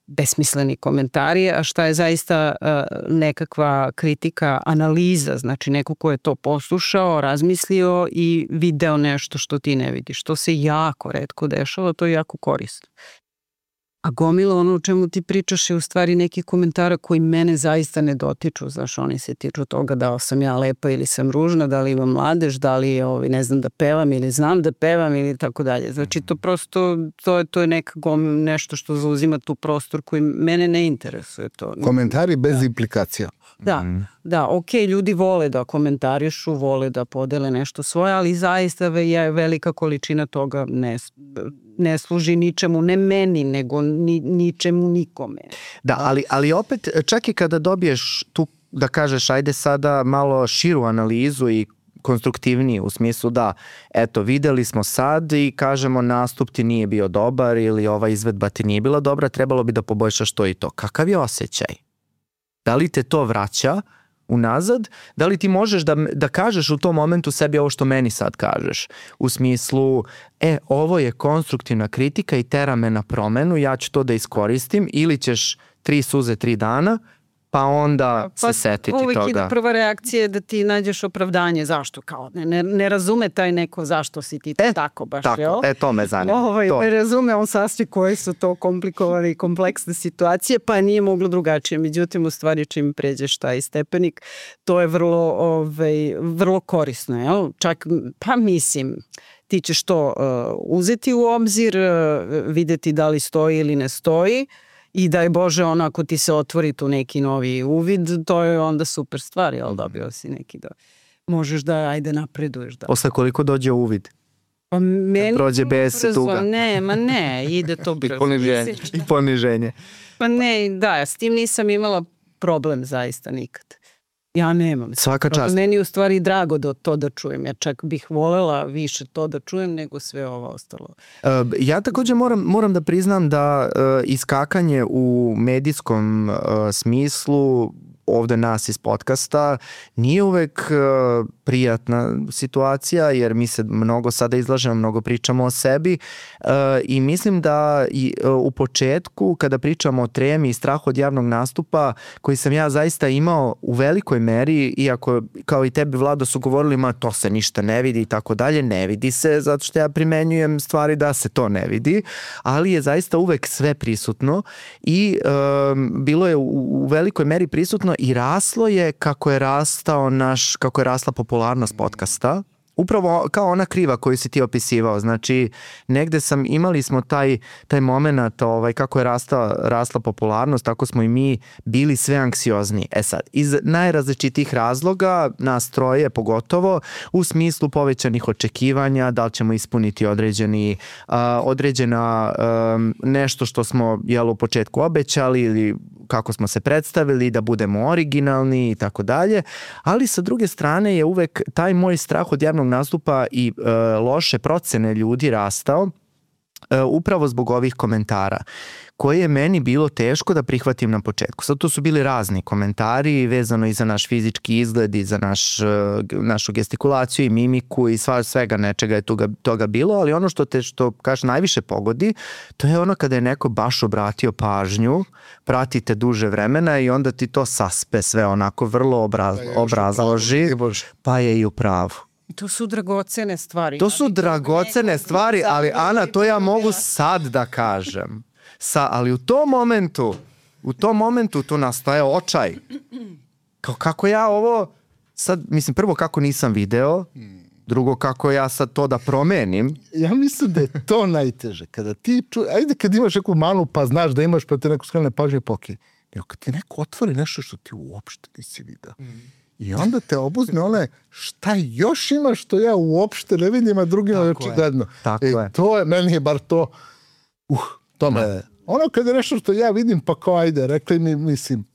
besmisleni komentari, a šta je zaista nekakva kritika, analiza, znači neko ko je to poslušao, razmislio i video nešto što ti ne vidiš. To se jako retko dešava, to je jako korisno. A gomila ono o čemu ti pričaš je u stvari neki komentara koji mene zaista ne dotiču, znaš, oni se tiču toga da li sam ja lepa ili sam ružna, da li imam mladež, da li ne znam da pevam ili znam da pevam ili tako dalje. Znači to prosto, to je nešto što zauzima tu prostor koji mene ne interesuje. To. Komentari bez implikacija. Da, ok, ljudi vole da komentarišu, vole da podele nešto svoje, ali zaista je velika količina toga ne služi ničemu, ne meni, nego ničemu nikome. Da, ali opet, čak i kada dobiješ tu, da kažeš, ajde sada malo širu analizu i konstruktivniji u smislu da, eto, videli smo sad i kažemo nastup ti nije bio dobar ili ova izvedba ti nije bila dobra, trebalo bi da poboljšaš to i to. Kakav je osjećaj? Da li te to vraća unazad? Da li ti možeš da kažeš u tom momentu sebi ovo što meni sad kažeš? U smislu, ovo je konstruktivna kritika i tera me na promenu, ja ću to da iskoristim, ili ćeš 3 suze 3 dana, pa onda se setiti toga. Uvijek ide prva reakcija da ti nađeš opravdanje zašto, kao ne razume taj neko zašto si ti tako baš, tako, jel? To me zanima. Ne razume on sasvim koje su to komplikovane i kompleksne situacije, pa nije moglo drugačije. Međutim, u stvari čim pređeš taj stepenik, to je vrlo korisno, jel? Čak, pa mislim, ti ćeš to uzeti u obzir, videti da li stoji ili ne stoji, i daj Bože, ako ti se otvori tu neki novi uvid, to je onda super stvar, jel, dobio si neki da možeš da ajde napreduješ. Da. Posle koliko dođe uvid? Pa meni prođe bez tuga. Ne, ide to brzo. I poniženje. Pa ne, da, s tim nisam imala problem zaista nikad. Ja nemam. Svaka čast. Meni je u stvari drago da čujem. Ja čak bih volela više to da čujem nego sve ovo ostalo. Ja također moram da priznam da iskakanje u medijskom smislu ovde nas iz podcasta nije uvek prijatna situacija, jer mi se mnogo sada izlažemo, mnogo pričamo o sebi i mislim da u početku kada pričamo o tremi i strahu od javnog nastupa, koji sam ja zaista imao u velikoj meri, iako kao i tebi Vlado su govorili ma to se ništa ne vidi i tako dalje, ne vidi se zato što ja primenjujem stvari da se to ne vidi, ali je zaista uvek sve prisutno i bilo je u velikoj meri prisutno i raslo je kako je rasla popularnost podcasta. Upravo kao ona kriva koju si ti opisivao. Znači, negde imali smo taj moment kako je rasla popularnost, tako smo i mi bili sve anksiozni. E sad, iz najrazličitih razloga, nas troje pogotovo, u smislu povećanih očekivanja, da li ćemo ispuniti određena nešto što smo u početku obećali ili kako smo se predstavili, da budemo originalni i tako dalje, ali sa druge strane je uvek taj moj strah od javnog nastupa i loše procene ljudi rastao upravo zbog ovih komentara koje je meni bilo teško da prihvatim na početku. Sad to su bili razni komentari vezano i za naš fizički izgled i za našu gestikulaciju i mimiku i svega nečega je toga bilo, ali ono što kažeš najviše pogodi, to je ono kada je neko baš obratio pažnju, pratite duže vremena i onda ti to saspe sve onako vrlo obrazloži, pa je i u pravu. To su dragocene stvari. To su dragocene stvari, ali Ana, to ja mogu sad da kažem. Ali u tom momentu tu nastaje očaj. Kako ja ovo sad, mislim, prvo kako nisam video, drugo kako ja sad to da promenim. Ja mislim da je to najteže. Kada ti ajde kad imaš neku manu pa znaš da imaš pa te neko skrene pažnje poki. Kad ti neko otvori nešto što ti uopšte nisi video. I onda te obuzme šta još ima što ja uopšte ne vidim, a drugima je očigledno. To je, meni je bar to, tome. Ono kada je nešto što ja vidim, pa kao ajde, rekli mi, mislim,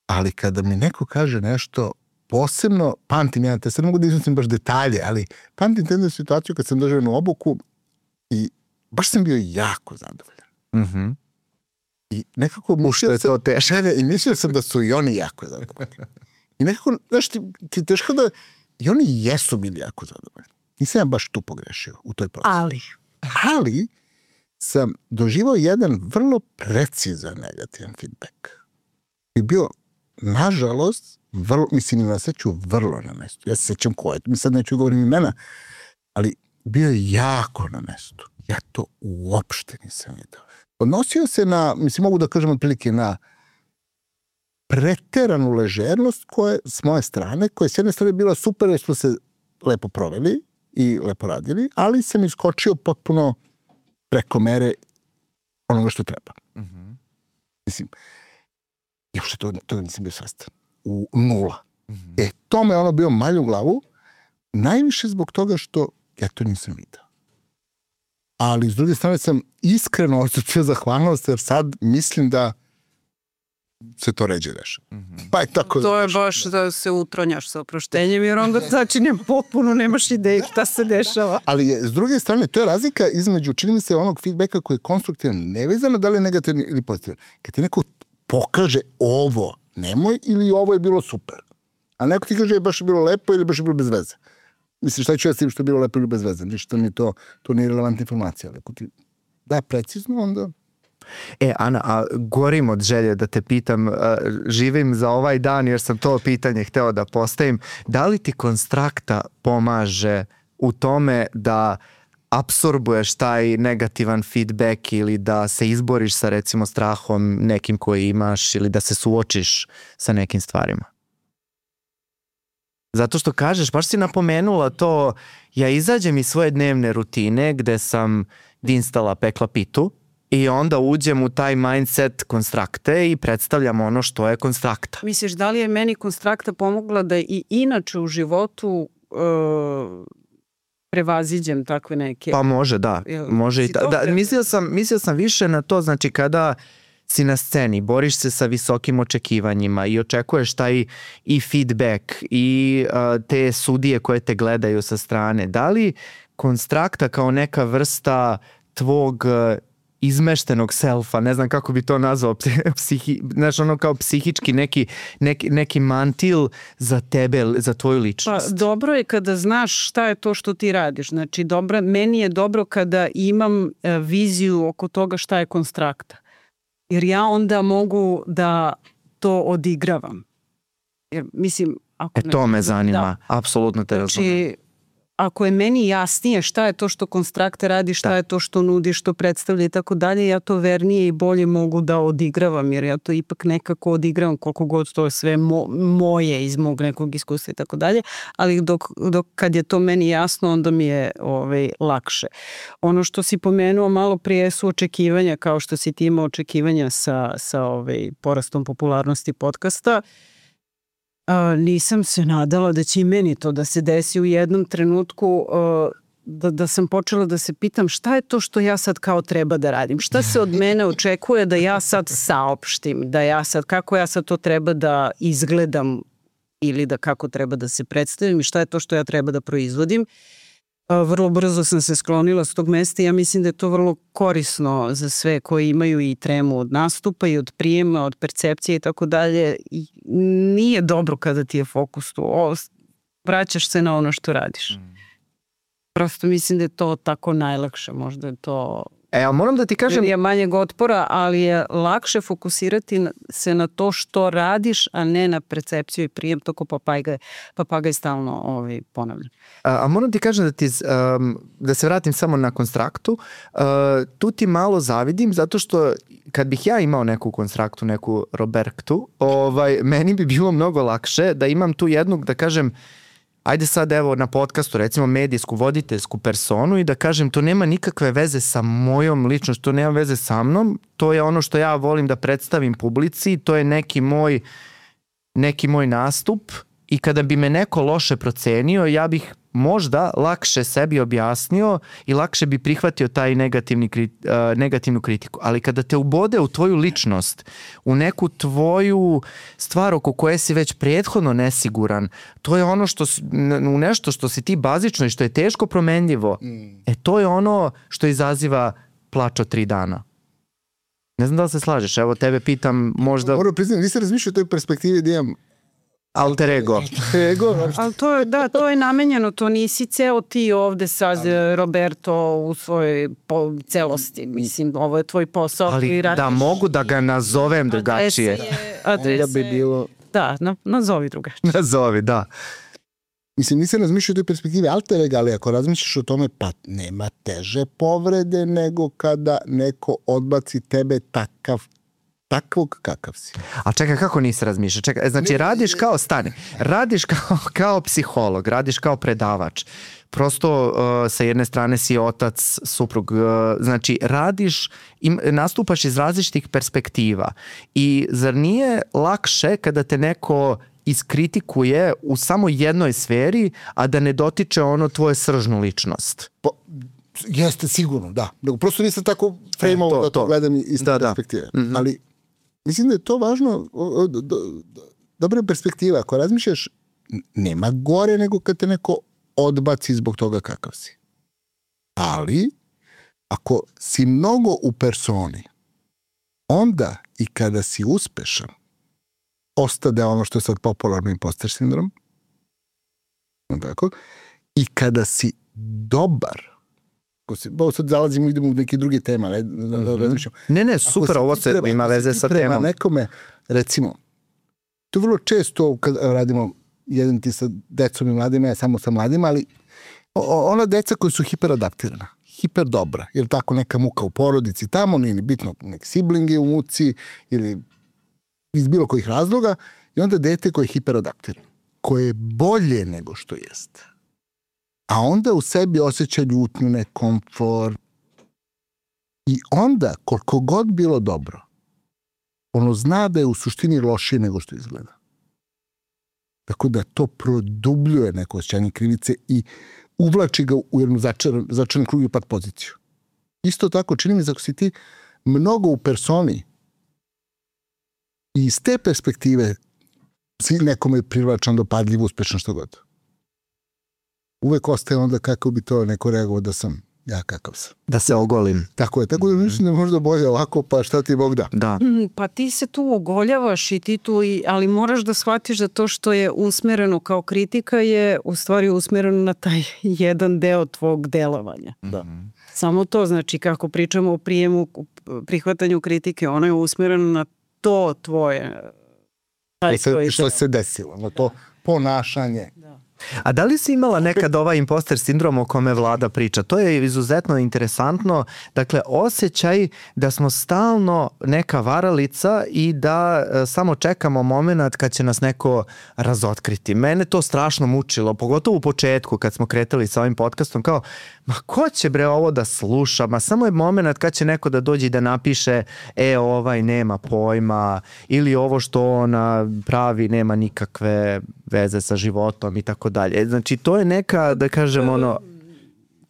ali kada mi neko kaže nešto posebno, pamtim ja, te sad ne mogu da iznosim baš detalje, ali pamtim jednu situaciju kad sam doživio na obuku i baš sam bio jako zadovoljan. I nekako mislio sam da su i oni jako zadovoljni. I nekako, znaš, ti teško da i oni jesu bili jako zadovoljni. Nisam ja baš tu pogrešio u toj procesi. Ali sam doživao jedan vrlo precizan negativan feedback. I bio, nažalost, mislim na sreću, vrlo na mestu. Ja se sećam ko je, mi sad neću govorim imena, ali bio je jako na mestu. Ja to uopšte nisam vidio. Odnosio se na, mislim, mogu da kažem otprilike na preteranu ležernost koje, s moje strane, koja s jedne strane bila super jer smo se lepo proveli i lepo radili, ali sam iskočio potpuno preko mere onoga što treba. Mislim, još toga nisam bio svestan. U nula. To me ono bio malj u glavu, najviše zbog toga što ja to nisam vidio. Ali s druge strane sam iskreno osjećao zahvalnost jer sad mislim da se to ređe dešava. Pa je tako. To je baš da se utronjaš sa oproštenjem jer onda začinjem potpuno nemaš ideju šta se dešava. Ali je, s druge strane, to je razlika između, čini mi se, onog feedbacka koji je konstruktivan, nevezano da li je negativan ili pozitivan. Kad ti neko pokaže ovo nemoj ili ovo je bilo super. A neko ti kaže je baš je bilo lepo ili baš je bilo bez veze. Mislim, šta ću ja s tim što je bilo lepo ili bez veze? Ništa mi to nije relevantna informacija. Ali ako ti da precizno, onda Ana, a gorim od želje da te pitam, živim za ovaj dan jer sam to pitanje hteo da postavim. Da li ti konstrakta pomaže u tome da apsorbuješ taj negativan feedback ili da se izboriš sa recimo strahom nekim koji imaš ili da se suočiš sa nekim stvarima? Zato što kažeš, baš si napomenula to, ja izađem iz svoje dnevne rutine gde sam dinstala pekla pitu i onda uđem u taj mindset konstrakte i predstavljam ono što je konstrakta. Misliš, da li je meni konstrakta pomogla da i inače u životu prevaziđem takve neke... Pa može, da. Može i da, mislio sam više na to, znači kada si na sceni, boriš se sa visokim očekivanjima i očekuješ taj i feedback i te sudije koje te gledaju sa strane. Da li konstrakta kao neka vrsta tvog izmeštenog selfa, ne znam kako bi to nazvao, znaš, ono kao psihički neki mantil za tebe, za tvoju ličnost? Pa dobro je kada znaš šta je to što ti radiš. Znači, meni je dobro kada imam viziju oko toga šta je konstrakta. Jer ja onda mogu da to odigravam. Jer, mislim, ako to me zanima, apsolutno te razumijem. Znači, ako je meni jasnije šta je to što konstrakta radi, šta je to što nudi, što predstavlja i tako dalje, ja to vernije i bolje mogu da odigravam, jer ja to ipak nekako odigravam koliko god to je sve moje iz mog nekog iskustva i tako dalje, ali dok kad je to meni jasno, onda mi je lakše. Ono što si pomenuo malo prije su očekivanja, kao što si ti imao očekivanja sa porastom popularnosti podcasta. Nisam se nadala da će i meni to da se desi u jednom trenutku, da sam počela da se pitam šta je to što ja sad kao treba da radim, šta se od mene očekuje da ja sad saopštim, kako ja sad to treba da izgledam ili da kako treba da se predstavim i šta je to što ja treba da proizvodim. Vrlo brzo sam se sklonila s tog mesta i ja mislim da je to vrlo korisno za sve koji imaju i tremu od nastupa i od prijema, od percepcije i tako dalje. Nije dobro kada ti je fokus tu. Vraćaš se na ono što radiš. Prosto mislim da je to tako najlakše. Možda je to... ali moram da ti kažem... Je manjeg otpora, ali je lakše fokusirati se na to što radiš, a ne na percepciju i prijem. Toko papagaj stalno ponavlja. A moram ti kažem da se vratim samo na konstraktu. Tu ti malo zavidim, zato što kad bih ja imao neku konstraktu, neku Robertu, meni bi bilo mnogo lakše da imam tu jednu, da kažem, ajde sad evo na podcastu recimo medijsku voditeljsku personu i da kažem to nema nikakve veze sa mojom ličnošću, to nema veze sa mnom, to je ono što ja volim da predstavim publici, to je neki moj nastup i kada bi me neko loše procenio ja bih možda lakše sebi objasnio i lakše bi prihvatio taj negativnu kritiku. Ali kada te ubode u tvoju ličnost, u neku tvoju stvar oko koje si već prethodno nesiguran, to je ono u nešto što si ti bazično i što je teško promenljivo, to je ono što izaziva plač od 3 dana. Ne znam da li se slažeš, evo tebe pitam možda... Moram priznati, nisam razmišljao o toj perspektivi da imam alter ego. Ali to je namenjeno, to nisi ceo ti ovde sad Roberto u svojoj celosti. Mislim, ovo je tvoj posao. Ali da mogu da ga nazovem drugačije. Adrese bi bilo... Da, nazovi drugačije. Nazovi, da. Mislim, nisam razmišljao o toj perspektivi alter ega, ali ako razmišljaš o tome, pa nema teže povrede nego kada neko odbaci tebe takvog kakav si. A čekaj, kako nisi razmišljao? Čekaj, znači radiš kao psiholog, radiš kao predavač. Prosto sa jedne strane si otac, suprug, znači nastupaš iz različitih perspektiva. I zar nije lakše kada te neko iskritikuje u samo jednoj sferi, a da ne dotiče ono tvoje sržnu ličnost? Jeste, sigurno, da. Prosto nisam tako frejmao da to gledam iz te perspektive. Ali mislim da je to važno, dobra perspektiva. Ako razmišljaš, nema gore nego kad te neko odbaci zbog toga kakav si. Ali, ako si mnogo u personi, onda i kada si uspešan, ostade ono što je sad popularno imposter sindrom, tako, i kada si dobar, Ovo sad zalazimo, idemo u neke druge teme, Ne, super, ovo se ima veze sa temom. Nekome, recimo, to vrlo često kad radimo jedan ti sa decom i mladima, ja samo sa mladima, ali ona deca koji su hiperadaptirana, hiper dobra, jer tako neka muka u porodici tamo, nije ni bitno nek siblingi u muci ili iz bilo kojih razloga, i onda dete koje je hiperadaptirano, koje je bolje nego što jeste. A onda u sebi osjeća ljutnju, nekomfort. I onda, koliko god bilo dobro, ono zna da je u suštini lošije nego što izgleda. Tako da to produbljuje neko osjećanje krivice i uvlači ga u jednu začaran krug i pad poziciju. Isto tako, čini mi se ako si ti mnogo u personi i iz te perspektive si nekome privlačan, dopadljiv, uspešan, što god. Uvek ostaje onda kako bi to neko reagovao da sam ja kakav sam. Da se ogolim. Tako je, tako da mislim da možda bolje ovako, pa šta ti Bog da. Da. Pa ti se tu ogoljavaš i ti tu, ali moraš da shvatiš da to što je usmereno kao kritika je u stvari usmereno na taj jedan deo tvog delovanja. Da. Samo to, znači kako pričamo o prijemu, prihvatanju kritike, ono je usmereno na to tvoje. Što se desilo, na to ponašanje. Da. A da li si imala nekad ovaj imposter sindrom o kome Vlada priča? To je izuzetno interesantno. Dakle, osjećaj da smo stalno neka varalica i da samo čekamo moment kad će nas neko razotkriti. Mene to strašno mučilo, pogotovo u početku kad smo kretali sa ovim podcastom, kao, ma ko će bre ovo da sluša? Ma samo je moment kad će neko da dođe i da napiše ovaj nema pojma ili ovo što ona pravi nema nikakve veze sa životom i tako dalje. Znači, to je neka, da kažem, ono...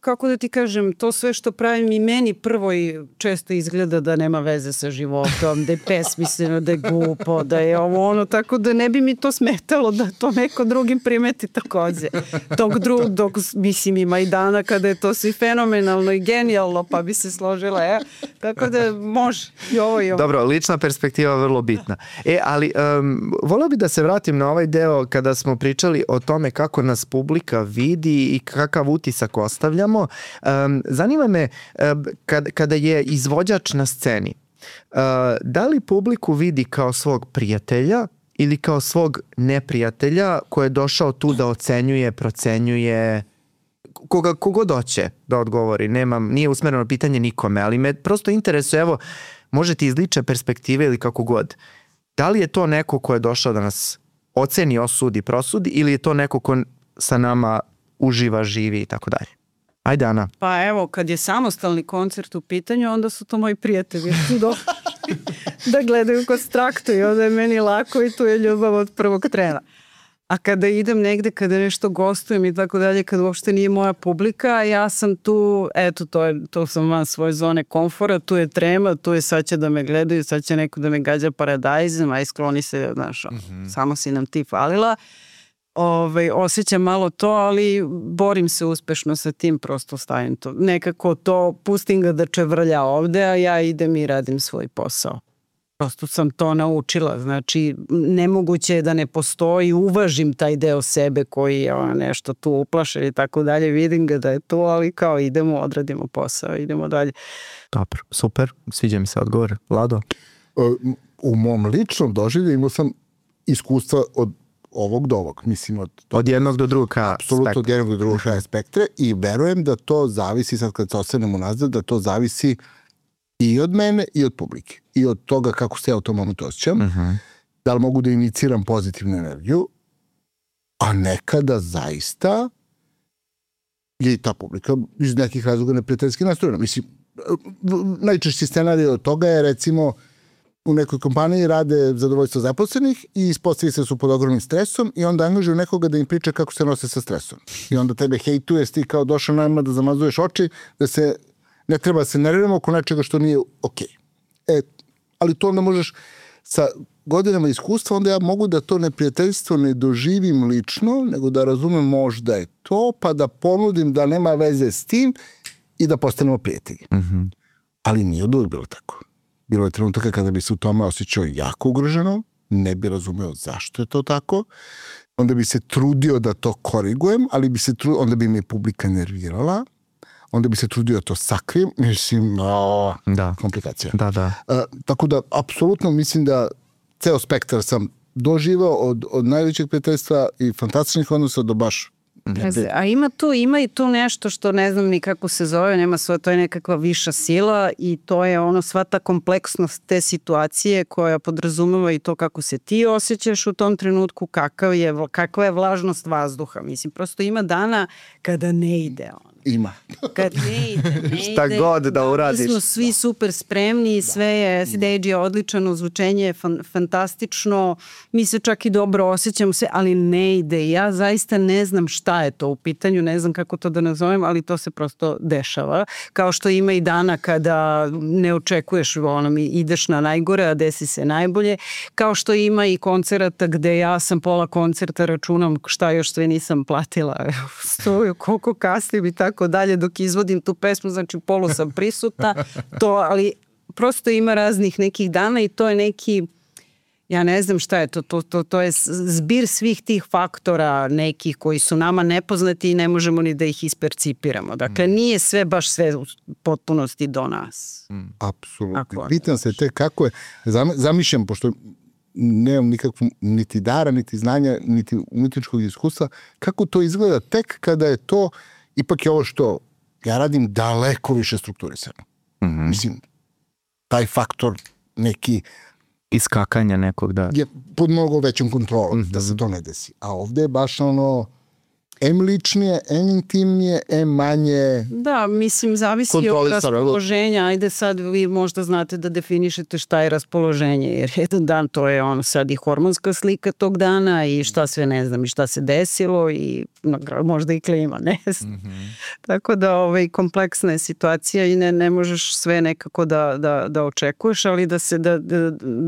Kako da ti kažem, to sve što pravim i meni prvo i često izgleda da nema veze sa životom, da je pesmisleno, da je glupo, da je ovo ono, tako da ne bi mi to smetalo da to neko drugim primeti takođe. Dok mislim ima i dana kada je to svi fenomenalno i genijalno, pa bi se složila, tako da može i ovo i ovo. Dobro, lična perspektiva je vrlo bitna. Ali voleo bi da se vratim na ovaj deo kada smo pričali o tome kako nas publika vidi i kakav utisak ostavljamo. Zanima me kada je izvođač na sceni, da li publiku vidi kao svog prijatelja ili kao svog neprijatelja koji je došao tu da ocenjuje, procenjuje, kogo doće da odgovori, nije usmereno pitanje nikome, ali me prosto interesuje, evo, možete iz lične perspektive ili kako god, da li je to neko ko je došao da nas oceni, osudi, prosudi ili je to neko ko sa nama uživa, živi i tako dalje? Ajde, Ana. Pa evo, kad je samostalni koncert u pitanju, onda su to moji prijatelji da gledaju kod Straktu i onda je meni lako i tu je ljubav od prvog trena. A kada idem negde, kada nešto gostujem i tako dalje, kada uopšte nije moja publika, ja sam tu, eto, to sam van svoje zone komfora, tu je trema, tu je sad će da me gledaju, sad će neko da me gađa paradajzem, aj skloni se, znaš, samo si nam ti falila. Osjećam malo to, ali borim se uspešno sa tim, prosto stavim to. Nekako to, pustim ga da čevrlja ovde, a ja idem i radim svoj posao. Prosto sam to naučila, znači nemoguće je da ne postoji, uvažim taj deo sebe koji je nešto tu uplašen i tako dalje, vidim ga da je tu, ali kao idemo, odradimo posao, idemo dalje. Dobro, super, sviđa mi se odgovor. Vlado? U mom ličnom doživlju imao sam iskustva od ovog do ovog, mislim od jednog do drugog kraja apsolutno od jednog do drugog kraja spektra i verujem da to zavisi, sad kad se ostanemo nazad, da to zavisi i od mene i od publike i od toga kako se ja u tom momentu osjećam, da li mogu da iniciram pozitivnu energiju, a nekada zaista je ta publika iz nekih razloga neprijateljski nastrojena. Mislim, najčešći scenarij od toga je recimo u nekoj kompaniji rade zadovoljstvo zaposlenih i ispostavi se su pod ogromnim stresom i onda angažuju nekoga da im priča kako se nose sa stresom. I onda tebe hejtuje, ti kao došao nama da zamazuješ oči, da se ne treba se nerviramo oko nečega što nije okej. Ali to onda možeš sa godinama iskustva, onda ja mogu da to neprijateljstvo ne doživim lično, nego da razumem možda je to, pa da ponudim da nema veze s tim i da postanemo prijatelji. Ali nije od uvijek bilo tako. Bilo je trenutaka kada bi se u tome osjećao jako ugroženo, ne bi razumeo zašto je to tako, onda bi se trudio da to korigujem, ali onda bi me publika nervirala, onda bi se trudio to sakrijem, mislim, komplikacija. Da. Tako da, apsolutno mislim da ceo spektar sam doživao od najvećeg prijateljstva i fantastičnih odnosa do baš. A ima i tu nešto što ne znam ni kako se zove, nema svoje, to je nekakva viša sila i to je sva ta kompleksnost te situacije koja podrazumeva i to kako se ti osjećaš u tom trenutku, kakva je vlažnost vazduha. Mislim, prosto ima dana kada ne ide Ima. Kad ne ide. Šta god da uradiš. Mi smo svi super spremni, sve je, stage je odličan, zvučenje je fantastično, mi se čak i dobro osjećamo sve, ali ne ide. Ja zaista ne znam šta je to u pitanju, ne znam kako to da nazovem, ali to se prosto dešava. Kao što ima i dana kada ne očekuješ, ideš na najgore, a desi se najbolje. Kao što ima i koncerata gde ja sam pola koncerta računam šta još sve nisam platila, stoju, koliko kasnim i tako dalje dok izvodim tu pesmu, znači polu sam prisutna, ali prosto ima raznih nekih dana i to je neki, ja ne znam šta je to je zbir svih tih faktora nekih koji su nama nepoznati i ne možemo ni da ih ispercipiramo. Dakle, nije sve baš sve u potpunosti do nas. Apsolutno. Pitam se kako je, zamišljam, pošto nemam nikakvu niti dara, niti znanja, niti umetničkog iskustva, kako to izgleda tek kada je to, ipak je ovo što ja radim daleko više strukturisano. Mislim, taj faktor neki iskakanja nekog, da. Je pod mnogo većom kontrolom da se to ne desi. A ovde je baš em ličnije, em intimnije, em manje. Da, mislim, zavisi od raspoloženja. Ajde sad vi možda znate da definišete šta je raspoloženje, jer jedan dan to je sad i hormonska slika tog dana i šta sve ne znam i šta se desilo i možda i klima, ne znam. Tako da kompleksna je situacija i ne možeš sve nekako da očekuješ, ali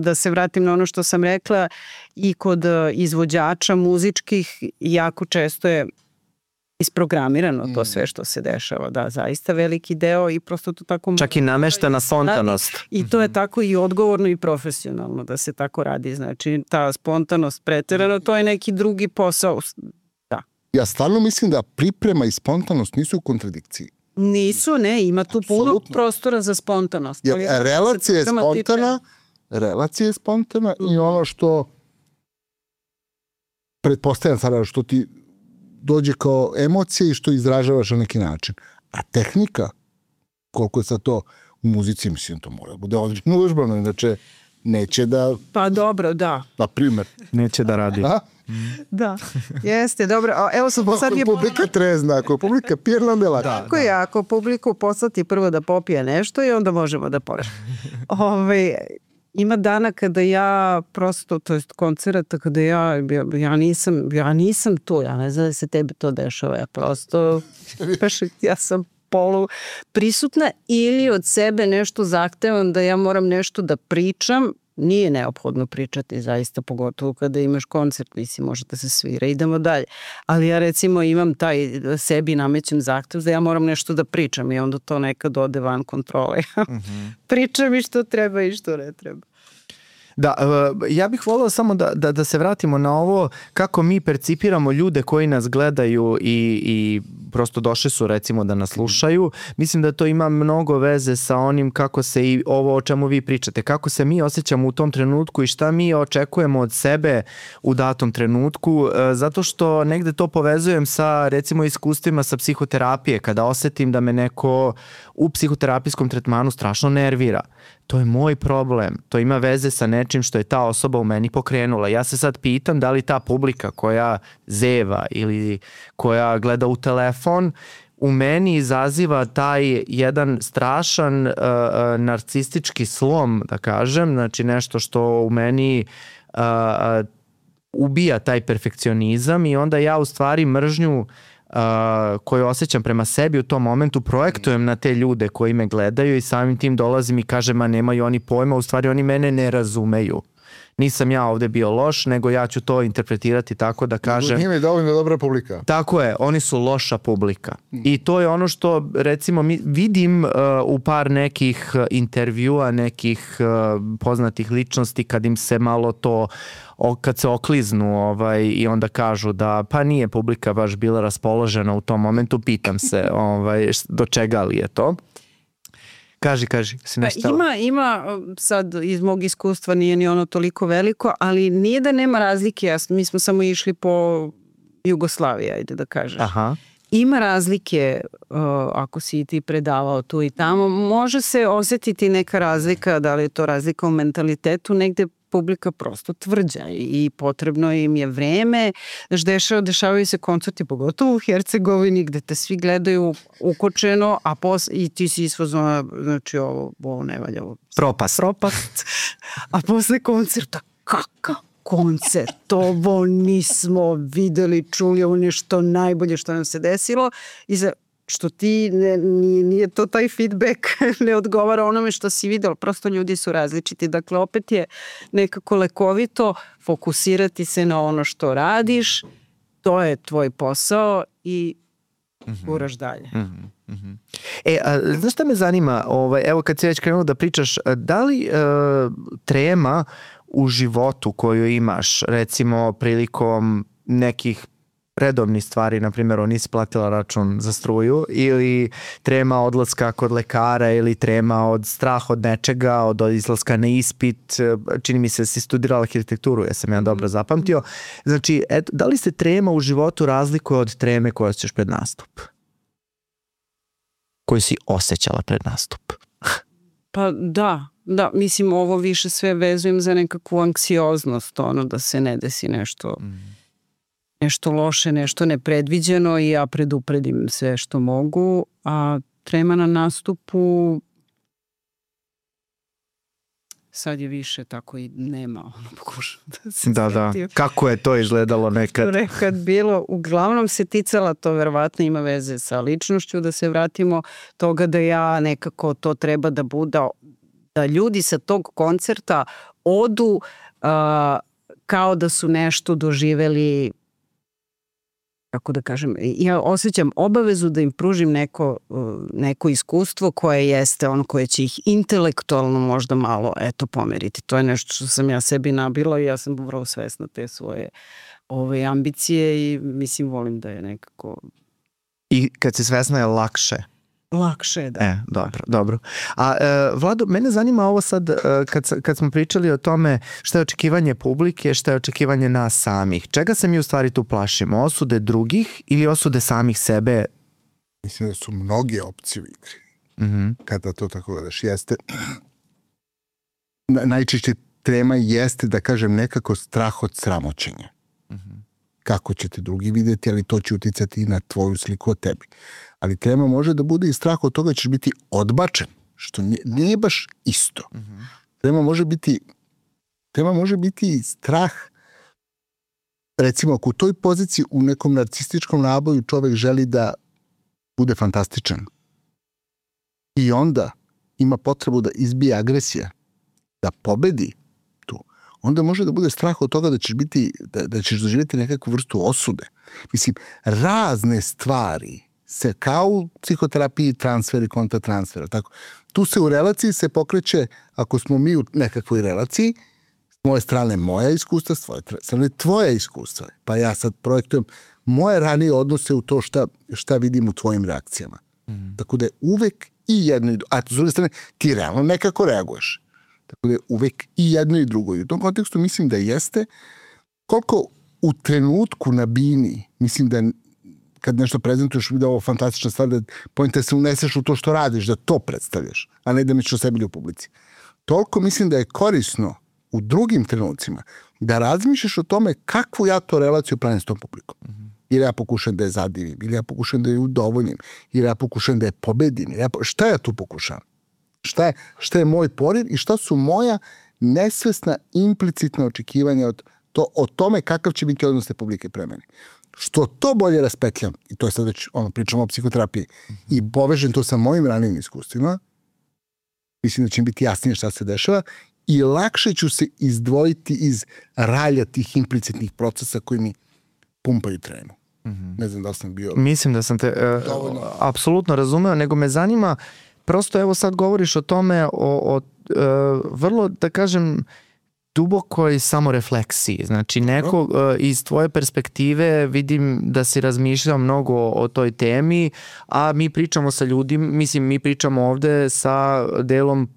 da se vratim na ono što sam rekla, i kod izvođača muzičkih jako često je isprogramirano to sve što se dešava. Da, zaista veliki deo i prosto to tako... Čak i nameštena spontanost. I to je tako i odgovorno i profesionalno da se tako radi. Znači, ta spontanost preterano, to je neki drugi posao. Da. Ja stvarno mislim da priprema i spontanost nisu u kontradikciji. Nisu, ne, ima tu puno prostora za spontanost. Relacija je spontana i ono što pretpostavljam sada što ti dođe kao emocija i što izražavaš na neki način. A tehnika, koliko je sad to u muzici, mislim, to mora bude odlično uvežbano, inače neće da... Pa dobro, da. Na primjer. Neće da radi. Da, jeste, dobro. Evo sad je... Ako publika trezna, ako publika pirna, onda je lako. Tako je, ako publiku poslati prvo da popije nešto i onda možemo da počnemo. Ima dana kada ja prosto, to jest koncerata kada ja nisam tu, ja ne znam da se tebi to dešava, ja prosto ja sam polu prisutna ili od sebe nešto zahtevam da ja moram nešto da pričam. Nije neophodno pričati, zaista, pogotovo kada imaš koncert, mislim, može da se svira, idemo dalje. Ali ja recimo imam taj sebi namećem zahtev da ja moram nešto da pričam i onda to nekad ode van kontrole. Pričam i što treba i što ne treba. Da, ja bih volio samo da se vratimo na ovo kako mi percipiramo ljude koji nas gledaju i prosto došli su recimo da nas slušaju. Mislim da to ima mnogo veze sa onim kako se i ovo o čemu vi pričate, kako se mi osjećamo u tom trenutku i šta mi očekujemo od sebe u datom trenutku, zato što negde to povezujem sa recimo iskustvima sa psihoterapije, kada osetim da me neko u psihoterapijskom tretmanu strašno nervira. To je moj problem, to ima veze sa nečim što je ta osoba u meni pokrenula. Ja se sad pitam da li ta publika koja zeva ili koja gleda u telefon u meni izaziva taj jedan strašan narcistički slom, da kažem, znači nešto što u meni ubija taj perfekcionizam i onda ja u stvari mržnju koju osjećam prema sebi u tom momentu projektujem na te ljude koji me gledaju i samim tim dolazim i kažem, a nemaju oni pojma, u stvari oni mene ne razumeju. nisam ja ovde bio loš, nego ja ću to interpretirati tako da kažem... Njima je dovoljno dobra publika. Tako je, oni su loša publika. I to je ono što, recimo, vidim u par nekih intervjua, nekih poznatih ličnosti, kad im se malo to, kad se okliznu i onda kažu da pa nije publika baš bila raspoložena u tom momentu, pitam se do čega li je to. Kaži, si nešto... Ima sad iz mog iskustva, nije ni ono toliko veliko, ali nije da nema razlike, mi smo samo išli po Jugoslaviji, ajde da kažeš. Aha. Ima razlike, ako si i ti predavao tu i tamo, može se osjetiti neka razlika, da li je to razlika u mentalitetu, negde publika prosto tvrđa i potrebno im je vreme. Dešavaju se koncerti, pogotovo u Hercegovini, gde te svi gledaju ukočeno, i ti si isfazona, znači ovo ne valja. Propast. A posle koncerta, kakav koncert, ovo nismo videli, čuli, ovo nešto najbolje što nam se desilo i što ti nije to taj feedback, ne odgovara onome što si videla, prosto ljudi su različiti. Dakle, opet je nekako lekovito fokusirati se na ono što radiš, to je tvoj posao i guraš dalje. Znaš šta me zanima, evo kad si već krenuo da pričaš, da li trema u životu koju imaš, recimo prilikom nekih redovnih stvari, na primjer, nisi platila račun za struju, ili trema odlaska kod lekara, ili trema od strah od nečega, od izlaska na ispit, čini mi se si studirala arhitekturu, ja sam dobro zapamtio. Znači, da li se trema u životu razlikuje od treme koju osjećaš pred nastup? Koju si osjećala pred nastup? Pa da, mislim, ovo više sve vezujem za nekakvu anksioznost, da se ne desi nešto loše, nešto nepredviđeno i ja predupredim sve što mogu, a trema na nastupu sad je više tako i nema, pokušam da se Da. Kako je to izgledalo nekad? Nekad bilo, uglavnom se ticala, to verovatno ima veze sa ličnošću, da se vratimo toga da ja nekako to treba da bude, da ljudi sa tog koncerta odu kao da su nešto doživeli, kako da kažem, ja osjećam obavezu da im pružim neko iskustvo koje jeste koje će ih intelektualno možda malo pomeriti. To je nešto što sam ja sebi nabila i ja sam vrlo svesna te svoje ambicije i mislim volim da je nekako... I kad si svesna je lakše? Lakše, da. Dobro. A Vlado, mene zanima ovo sad, kad smo pričali o tome šta je očekivanje publike, šta je očekivanje nas samih. Čega se mi u stvari tu plašimo? Osude drugih ili osude samih sebe? Mislim da su mnoge opcije u igri. Kada to tako gledaš, jeste... Najčešće trema jeste, da kažem, nekako strah od sramoćenja. Kako će te drugi vidjeti, ali to će uticati i na tvoju sliku o tebi. Ali trema može da bude i strah od toga da ćeš biti odbačen, što nije baš isto. Trema može biti strah, recimo, ako u toj poziciji u nekom narcističkom naboju čovek želi da bude fantastičan i onda ima potrebu da izbije agresija, da pobedi tu, onda može da bude strah od toga da ćeš doživjeti nekakvu vrstu osude. Mislim, razne stvari se kao u psihoterapiji transfer i kontratransfer. Tu se u relaciji se pokreće, ako smo mi u nekakvoj relaciji, s moje strane moja iskustva, s tvoje strane tvoja iskustva. Pa ja sad projektujem moje ranije odnose u to šta vidim u tvojim reakcijama. Tako da je uvek i jedno i drugo. A s druge strane, ti realno nekako reaguješ. Tako da je uvek i jedno i drugo. I u tom kontekstu mislim da jeste koliko u trenutku na bini, mislim da kad nešto prezentuješ, da je ovo fantastična stvar, da pojenta se uneseš u to što radiš, da to predstavljaš, a ne da misliš o sebi ili u publici. Toliko mislim da je korisno u drugim trenucima da razmišljaš o tome kakvu ja to relaciju pravim s tom publikom. Ili ja pokušam da je zadivim, ili ja pokušam da je udovoljim, ili ja pokušam da je pobedim. Šta ja tu pokušavam? Šta je moj poriv i šta su moja nesvesna, implicitna očekivanja o tome kakav će biti odnos te publike pre mene. Što to bolje raspetljam, i to je sad već pričamo o psihoterapiji, i povežem to sa mojim ranijim iskustvima, mislim da će mi biti jasnije šta se dešava, i lakše ću se izdvojiti iz ralja tih implicitnih procesa koji mi pumpaju tremu. Ne znam da sam bio... Mislim da sam te apsolutno razumeo, nego me zanima, prosto evo sad govoriš o tome, o vrlo, da kažem, dubokoj samorefleksiji. Znači, neko iz tvoje perspektive vidim da si razmišljao mnogo o toj temi, a mi pričamo sa ljudima, mislim, mi pričamo ovde sa delom,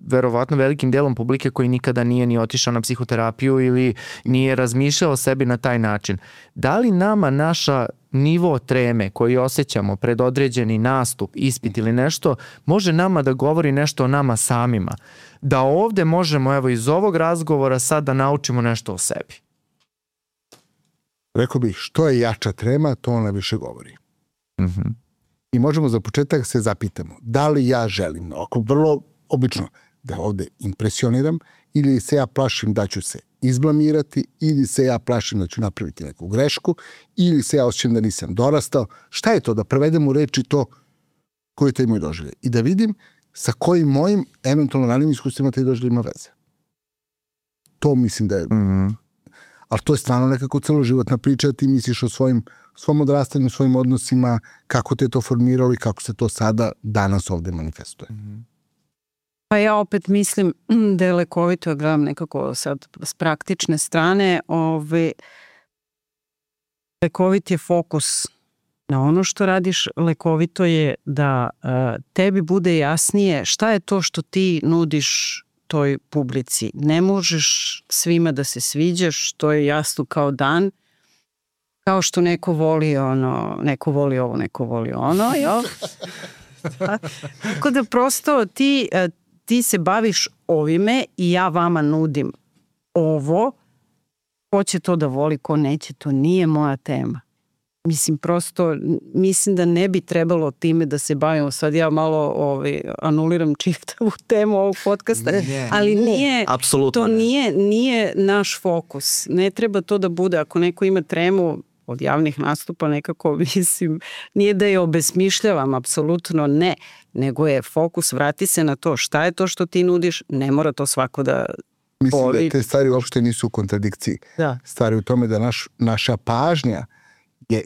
verovatno velikim delom publike koji nikada nije ni otišao na psihoterapiju ili nije razmišljao o sebi na taj način. Da li nama naša nivo treme koji osjećamo pred određeni nastup, ispit ili nešto, može nama da govori nešto o nama samima? Da ovde možemo, evo, iz ovog razgovora sad da naučimo nešto o sebi. Rekao bih, što je jača trema, to ona više govori. I možemo za početak se zapitamo, da li ja želim, oko vrlo obično, da ovde impresioniram, ili se ja plašim da ću se izblamirati, ili se ja plašim da ću napraviti neku grešku, ili se ja osjećam da nisam dorastao. Šta je to? Da prevedem u reči to koje to imaju doživlje. I da vidim sa kojim mojim eventualno ranim iskustvima taj doživlje ima veze. To mislim da je... Ali to je stvarno nekako celoživotna priča, ti misliš o svom odrastanju, svojim odnosima, kako te to formiralo i kako se to sada danas ovde manifestuje. Pa ja opet mislim da je lekovito, ja gledam nekako sad s praktične strane, lekovit je fokus na ono što radiš, lekovito je da tebi bude jasnije šta je to što ti nudiš toj publici. Ne možeš svima da se sviđaš, to je jasno kao dan, kao što neko voli ono, neko voli ovo, neko voli ono, jel? Tako da prosto ti se baviš ovime i ja vama nudim ovo, ko će to da voli, ko neće, to nije moja tema. Mislim, prosto, mislim da ne bi trebalo time da se bavimo. Sad ja malo anuliram čitavu temu ovog podcasta, ali nije, to nije naš fokus. Ne treba to da bude, ako neko ima tremu od javnih nastupa, nekako, mislim, nije da je obesmišljavam, apsolutno ne, nego je fokus, vrati se na to šta je to što ti nudiš, ne mora to svako da mislim da te stvari uopšte nisu u kontradikciji. Da. Stvari u tome da naša pažnja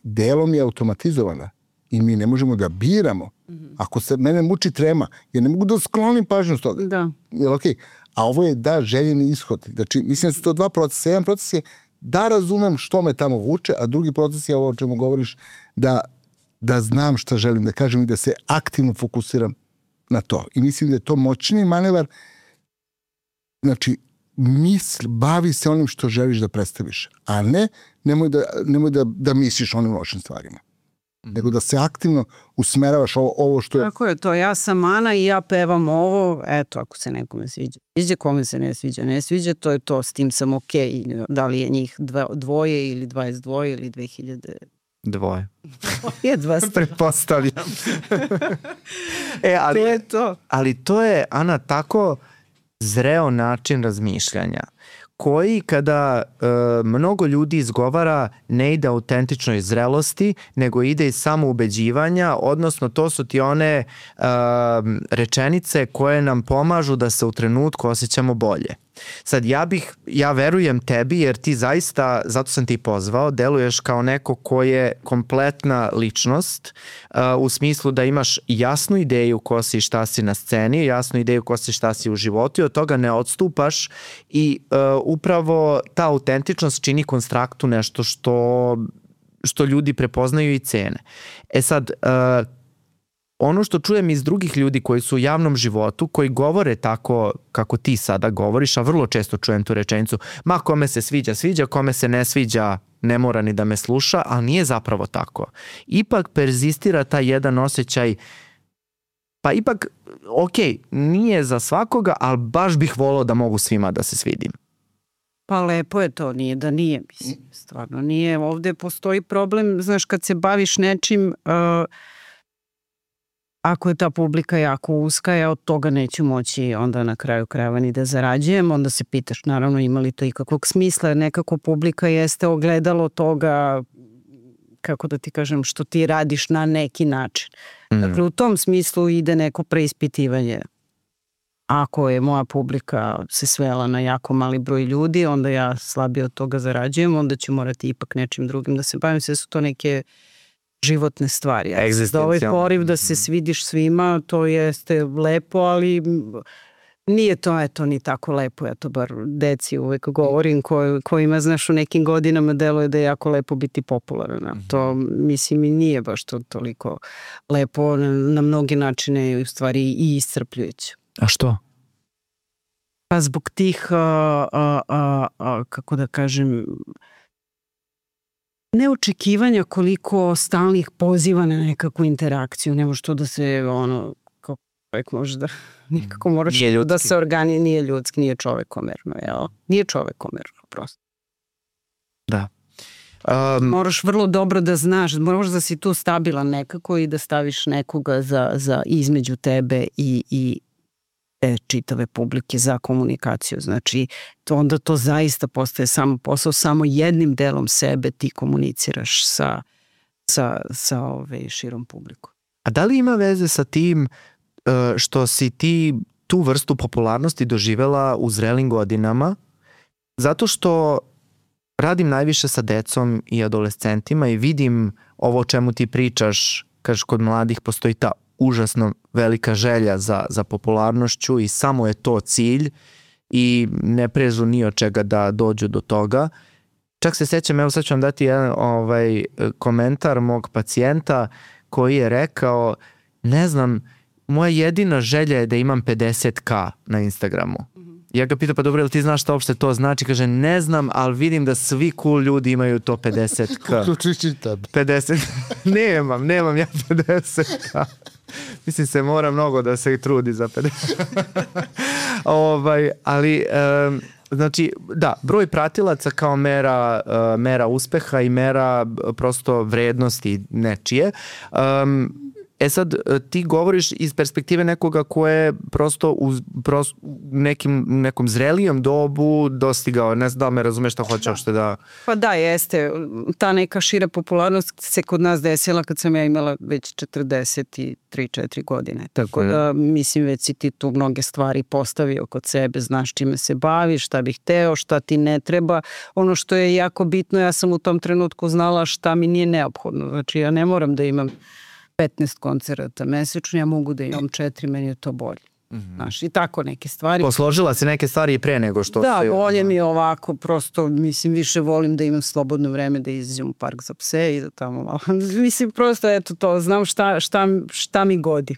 delom je automatizovana i mi ne možemo da biramo. Ako se mene muči trema, ja ne mogu da sklonim pažnju s toga. Da. Jel okej? A ovo je željeni ishod. Znači, mislim da su to dva procesa. Jedan proces je da razumem što me tamo vuče, a drugi proces je ovo o čemu govoriš, da znam šta želim da kažem i da se aktivno fokusiram na to. I mislim da je to moćni manevar. Znači, bavi se onim što želiš da predstaviš, a nemoj da misliš onim lošim stvarima. Nego da se aktivno usmeravaš ovo što je... Tako je to, ja sam Ana i ja pevam ovo, eto, ako se nekome sviđa, kome se ne sviđa, to je to, s tim sam okej. Da li je njih dvoje ili 22 ili 2000... Dvoje. Je 200. Pretpostavljam. To je to. Ali to je, Ana, tako zreo način razmišljanja koji kada mnogo ljudi izgovara ne ide autentičnoj zrelosti, nego ide iz samoubeđivanja, odnosno to su ti one rečenice koje nam pomažu da se u trenutku osjećamo bolje. Sad, ja verujem tebi jer ti zaista, zato sam ti pozvao, deluješ kao neko ko je kompletna ličnost u smislu da imaš jasnu ideju ko si i šta si na sceni, jasnu ideju ko si i šta si u životu i od toga ne odstupaš i upravo ta autentičnost čini konstraktu nešto što ljudi prepoznaju i cene. E sad, ono što čujem iz drugih ljudi koji su u javnom životu, koji govore tako kako ti sada govoriš, a vrlo često čujem tu rečenicu, ma kome se sviđa, kome se ne sviđa, ne mora ni da me sluša, ali nije zapravo tako. Ipak perzistira taj jedan osjećaj, pa ipak, nije za svakoga, ali baš bih volao da mogu svima da se svidim. Pa lepo je to, nije da nije, mislim, stvarno nije. Ovde postoji problem, znaš, kad se baviš nečim... Ako je ta publika jako uska, ja od toga neću moći onda na kraju krajeva ni da zarađujem, onda se pitaš naravno ima li to ikakvog smisla, jer nekako publika jeste ogledalo toga, kako da ti kažem, što ti radiš na neki način. Dakle, u tom smislu ide neko preispitivanje ako je moja publika se svela na jako mali broj ljudi, onda ja slabije od toga zarađujem, onda ću morati ipak nečim drugim da se bavim. Sve su to neke životne stvari. Da ovaj poriv da se svidiš svima, to jeste lepo, ali nije to eto ni tako lepo. Ja to bar deci uvek govorim kojima, znaš, u nekim godinama deluje da je jako lepo biti popularan. To, mislim, i nije baš to toliko lepo. Na mnogi načine je u stvari i iscrpljujuće. A što? Pa zbog tih, kako da kažem, neočekivanja koliko stalnih poziva na nekakvu interakciju, nema što da se kako čovjek može da nikako moraš da se nije ljudski, nije čovekomerno, jel? Nije čovekomerno, prosto. Da. Moraš vrlo dobro da znaš, moraš da si tu stabilan nekako i da staviš nekoga za između tebe i te čitave publike za komunikaciju. Znači, onda to zaista postaje samo posao, samo jednim delom sebe ti komuniciraš sa širom publikom. A da li ima veze sa tim što si ti tu vrstu popularnosti doživela u zrelim godinama? Zato što radim najviše sa decom i adolescentima i vidim ovo o čemu ti pričaš, kažeš kod mladih postoji ta užasno velika želja za popularnošću i samo je to cilj i ne prežu ni od čega da dođu do toga. Čak se sećam, evo sad ću vam dati jedan komentar mog pacijenta koji je rekao, ne znam, moja jedina želja je da imam 50k na Instagramu. Ja ga pitam, pa dobro, jel ti znaš šta uopšte to znači? Kaže, ne znam, ali vidim da svi cool ljudi imaju to 50k. Uključujući tebe. 50, nemam ja 50k. Mislim se mora mnogo da se trudi za 50. Ali, znači, da, broj pratilaca kao mera uspeha i mera prosto vrednosti nečije. Sad, ti govoriš iz perspektive nekoga ko je prosto u nekom zrelijom dobu dostigao, ne znam da me razumeš šta hoće uopšte da... Pa da, jeste. Ta neka šira popularnost se kod nas desila kad sam ja imala već 43-4 godine. Tako da, mislim, već si ti tu mnoge stvari postavio kod sebe, znaš čime se baviš, šta bih hteo, šta ti ne treba. Ono što je jako bitno, ja sam u tom trenutku znala šta mi nije neophodno. Znači, ja ne moram da imam 15 koncerata mesečno, ja mogu da imam 4, meni je to bolje. Znaš, i tako neke stvari. Posložila si neke stvari i pre nego što... Da, bolje mi je ovako, prosto, mislim, više volim da imam slobodno vreme da izađem u park za pse i da tamo malo... Mislim, prosto, eto to, znam šta mi godi.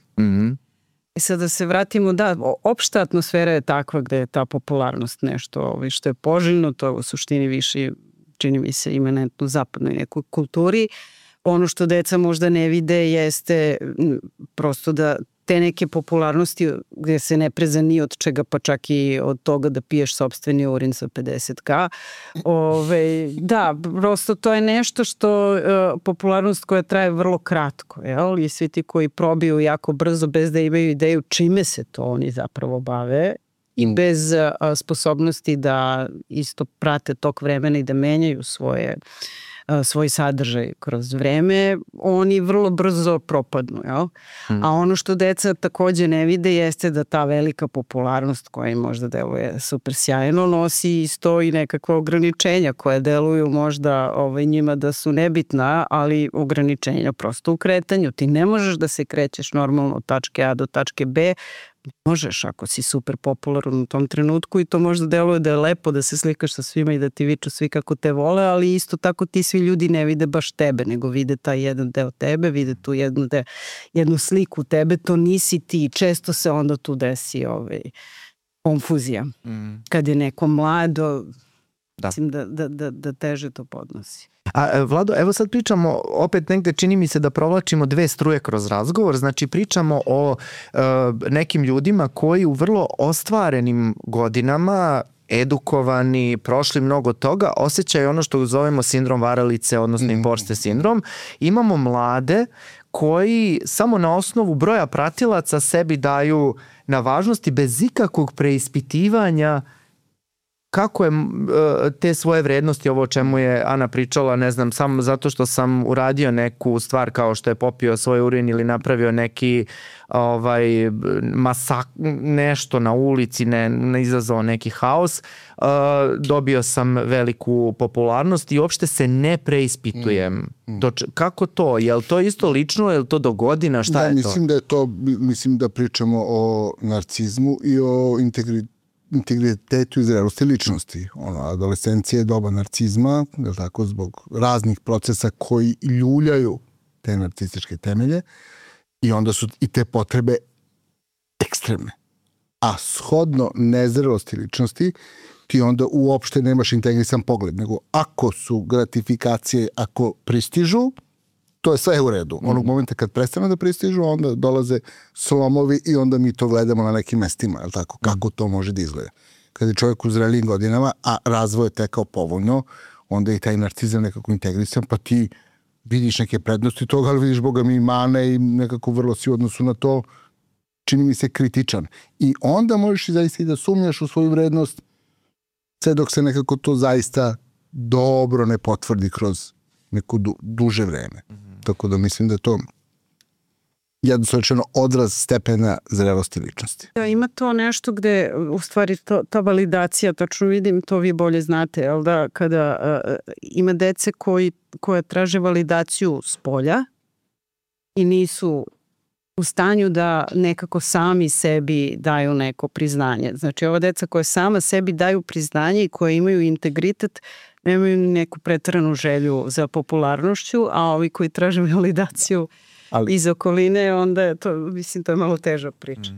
I sad da se vratimo, da, opšta atmosfera je takva gde je ta popularnost nešto što je poželjno, to je u suštini više, čini mi se, imanentno u zapadnoj nekoj kulturi. Ono što deca možda ne vide jeste prosto da te neke popularnosti gde se ne preza ni od čega, pa čak i od toga da piješ sopstveni urin sa 50k. Da, prosto to je nešto što popularnost koja traje vrlo kratko, jel? I svi ti koji probiju jako brzo bez da imaju ideju čime se to oni zapravo bave i bez sposobnosti da isto prate tok vremena i da menjaju svoj sadržaj kroz vreme, oni vrlo brzo propadnu. Jel? A ono što deca takođe ne vide jeste da ta velika popularnost koja im možda deluje super sjajno nosi isto i nekakva ograničenja koja deluju možda njima da su nebitna, ali ograničenja prosto u kretanju. Ti ne možeš da se krećeš normalno od tačke A do tačke B, možeš ako si super popularan u tom trenutku i to možda deluje da je lepo da se slikaš sa svima i da ti viču svi kako te vole, ali isto tako ti svi ljudi ne vide baš tebe, nego vide taj jedan deo tebe, vide tu jednu sliku tebe, to nisi ti. Često se onda tu desi konfuzija. Kad je neko mlado, mislim da teže to podnosi. A Vlado, evo sad pričamo, opet negde čini mi se da provlačimo dve struje kroz razgovor, znači pričamo o nekim ljudima koji u vrlo ostvarenim godinama, edukovani, prošli mnogo toga, osjećaju ono što zovemo sindrom varalice, odnosno imposter sindrom. Imamo mlade koji samo na osnovu broja pratilaca sebi daju na važnosti bez ikakvog preispitivanja kako je te svoje vrednosti, ovo o čemu je Ana pričala, ne znam, samo zato što sam uradio neku stvar kao što je popio svoj urin ili napravio neki nešto na ulici, ne izazvao neki haos, dobio sam veliku popularnost i uopšte se ne preispitujem. Kako to? Je li to isto lično? Je li to do godina? Šta je to? Mislim da pričamo o narcizmu i o integritetu i zrelosti ličnosti. Adolescencija je doba narcizma, je tako, zbog raznih procesa koji ljuljaju te narcističke temelje i onda su i te potrebe ekstremne. A shodno nezrelosti ličnosti ti onda uopšte nemaš integrisan pogled, nego ako su gratifikacije, ako pristižu, to je sve u redu. Onog momenta kad prestane da pristižu, onda dolaze slomovi i onda mi to gledamo na nekim mestima, je li tako? Kako to može da izgleda? Kad je čovjek u zrelijim godinama, a razvoj je tekao povoljno, onda je i taj narcizam nekako integrisan, pa ti vidiš neke prednosti toga, ali vidiš Boga mi mane i nekako vrlo si u odnosu na to, čini mi se kritičan. I onda možeš i zaista i da sumnjaš u svoju vrednost, sve dok se nekako to zaista dobro ne potvrdi kroz neko duže vreme. Tako da mislim da je to jednostavno odraz stepena zrelosti ličnosti. Da, ima to nešto gde u stvari ta validacija, tačno vidim, to vi bolje znate, jel da, kada ima dece koje traže validaciju s polja i nisu u stanju da nekako sami sebi daju neko priznanje. Znači, ova deca koja sama sebi daju priznanje i koje imaju integritet, nemaju neku preteranu želju za popularnošću, a ovi koji traže validaciju iz okoline, onda je to, mislim, to je malo teža priča.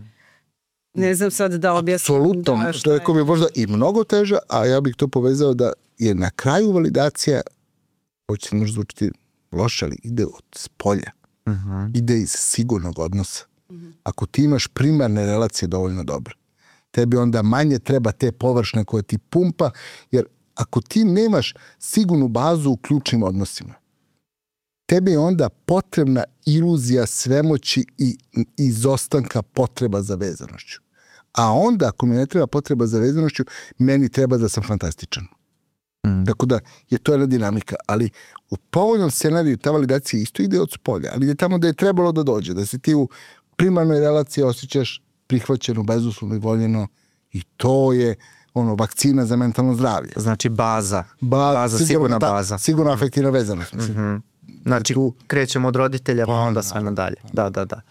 Ne znam sad da objasnim. Apsolutno, to je ko bi možda i mnogo teža, a ja bih to povezao da je na kraju validacija, hoće se možda zvučiti loše, ali ide od spolja. Ide iz sigurnog odnosa. Ako ti imaš primarne relacije dovoljno dobre, tebi onda manje treba te površne koje ti pumpa, jer ako ti nemaš sigurnu bazu u ključnim odnosima, tebi je onda potrebna iluzija svemoći i izostanka potreba za vezanošću. A onda, ako mi ne treba potreba za vezanošću, meni treba da sam fantastičan. Tako da je to jedna dinamika, ali u povoljnom scenariju ta validacija isto ide od spolja, ali ide tamo da je trebalo da dođe, da se ti u primarnoj relaciji osjećaš prihvaćeno, bezuslovno i voljeno, i to je vakcina za mentalno zdravlje. Znači baza sigurna baza. Sigurno afektivna vezanost. Znači krećemo od roditelja pa onda sve nadalje. Da.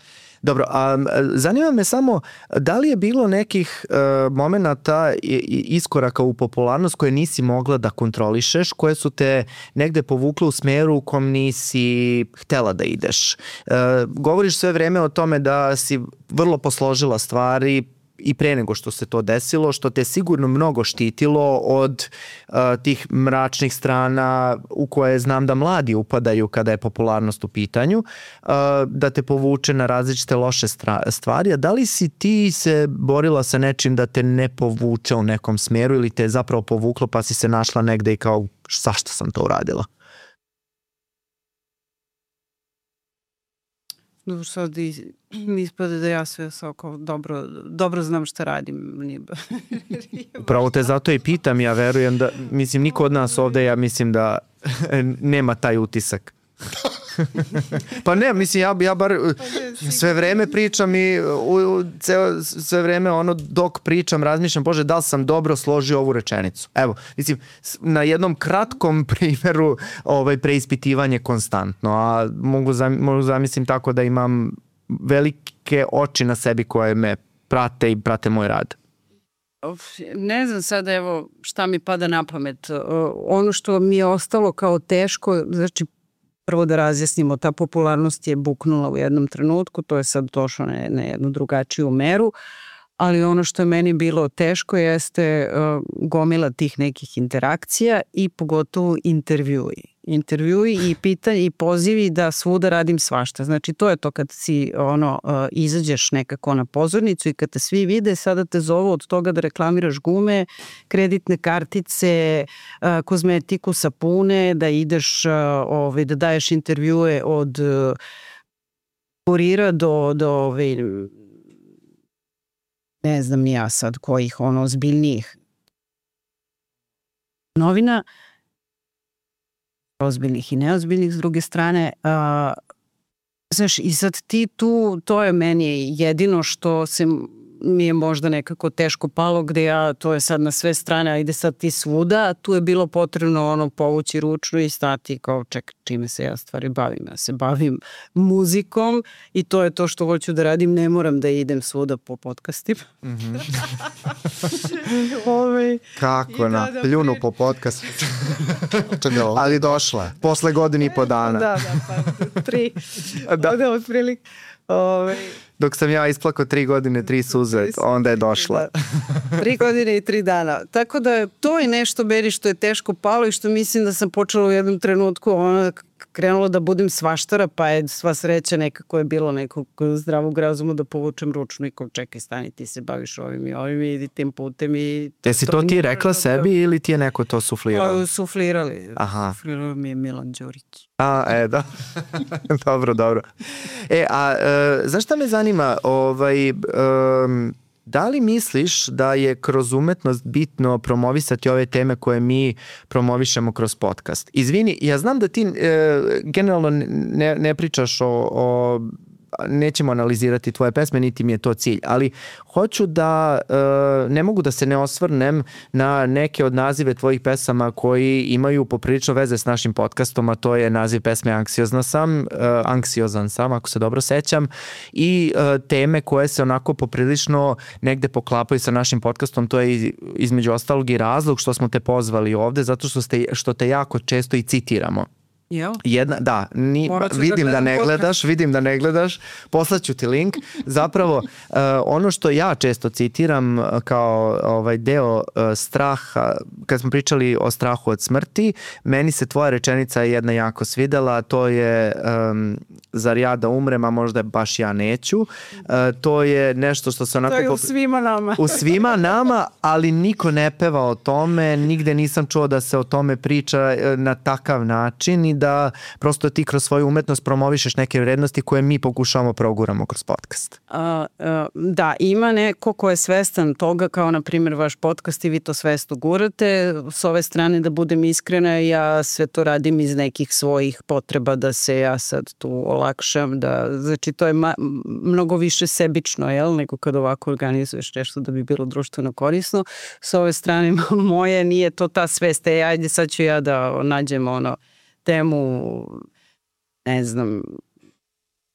Dobro, a zanima me samo da li je bilo nekih momenata iskoraka u popularnost koje nisi mogla da kontrolišeš, koje su te negde povukle u smeru u kom nisi htela da ideš. Govoriš sve vreme o tome da si vrlo posložila stvari i pre nego što se to desilo, što te sigurno mnogo štitilo od tih mračnih strana u koje znam da mladi upadaju kada je popularnost u pitanju, da te povuče na različite loše stvari. A da li si ti se borila sa nečim da te ne povuče u nekom smeru ili te je zapravo povuklo pa si se našla negde i kao zašto sam to uradila? Sad ispada da ja sve dobro znam šta radim. Upravo te zato i pitam, ja verujem da, mislim, niko od nas ovde, ja mislim da nema taj utisak. Pa ne, mislim, ja bar sve vreme pričam i sve vreme dok pričam razmišljam, Bože, da li sam dobro složio ovu rečenicu. Evo, mislim, na jednom kratkom primjeru preispitivanje konstantno, a mogu zamislim tako da imam velike oči na sebi koje me prate i prate moj rad. Ne znam sada, evo, šta mi pada na pamet. Ono što mi je ostalo kao teško, znači, prvo da razjasnimo, ta popularnost je buknula u jednom trenutku, to je sad došlo na jednu drugačiju meru, ali ono što je meni bilo teško jeste gomila tih nekih interakcija i pogotovo intervjui i pitanje i pozivi da svuda radim svašta. Znači to je to kad si izađeš nekako na pozornicu i kad te svi vide, sada te zovu od toga da reklamiraš gume, kreditne kartice, kozmetiku, sapune, da ideš da daješ intervjue od kurira do ne znam ni ja sad kojih ozbiljnijih novina, ozbiljnih i neozbiljnih s druge strane. Znaš, i sad ti tu, to je meni jedino što mi je možda nekako teško palo, gde to je sad na sve strane, a ide sad ti svuda, a tu je bilo potrebno povući ručnu i stati kao čime se ja stvari bavim. Ja se bavim muzikom i to je to što hoću da radim, ne moram da idem svuda po podcastima. Kako pljunu po podcastu. Ali došla, posle godinu i po dana. Da, pa 3. Da, otprilike. Dok sam ja isplakao 3 godine, 3 suze, onda je došla. 3 godine i 3 dana. Tako da to je nešto meni što je teško palo i što mislim da sam počela u jednom trenutku krenulo da budem svaštara, pa je sva sreća nekako je bilo nekog zdravog razuma da povučem ručnu i kao čekaj, stani, ti se baviš ovim i ovim i idi tim putem. Jesi to ti rekla sebi ili ti je neko to suflirao? Suflirali. Suflirao mi je Milan Đurić. Da. Dobro. Znaš šta me zanima? Da li misliš da je kroz umetnost bitno promovisati ove teme koje mi promovišemo kroz podcast? Izvini, ja znam da ti generalno ne pričaš nećemo analizirati tvoje pesme, niti mi je to cilj, ali hoću da, ne mogu da se ne osvrnem na neke od nazive tvojih pesama koji imaju poprilično veze s našim podcastom, a to je naziv pesme Anksiozan sam, ako se dobro sećam, i teme koje se onako poprilično negde poklapaju sa našim podcastom, to je između ostalog i razlog što smo te pozvali ovde, zato što te jako često i citiramo. Vidim da ne gledaš, poslaću ti link. Zapravo, ono što ja često citiram kao deo straha, kad smo pričali o strahu od smrti, meni se tvoja rečenica jedna jako svidela, to je zar ja da umrem, a možda baš ja neću. To je nešto što se onako... To je u svima nama. U svima nama, ali niko ne peva o tome, nigde nisam čuo da se o tome priča na takav način i da prosto ti kroz svoju umetnost promovišeš neke vrednosti koje mi pokušavamo proguramo kroz podcast. Da, ima neko ko je svestan toga, kao na primjer vaš podcast i vi to svesno gurate. S ove strane, da budem iskrena, ja sve to radim iz nekih svojih potreba da se ja sad tu olakšam. Znači to je mnogo više sebično, nego kad ovako organizuješ nešto da bi bilo društveno korisno. S ove strane moje nije to ta svest. Ajde sad ću ja da nađem temu, ne znam,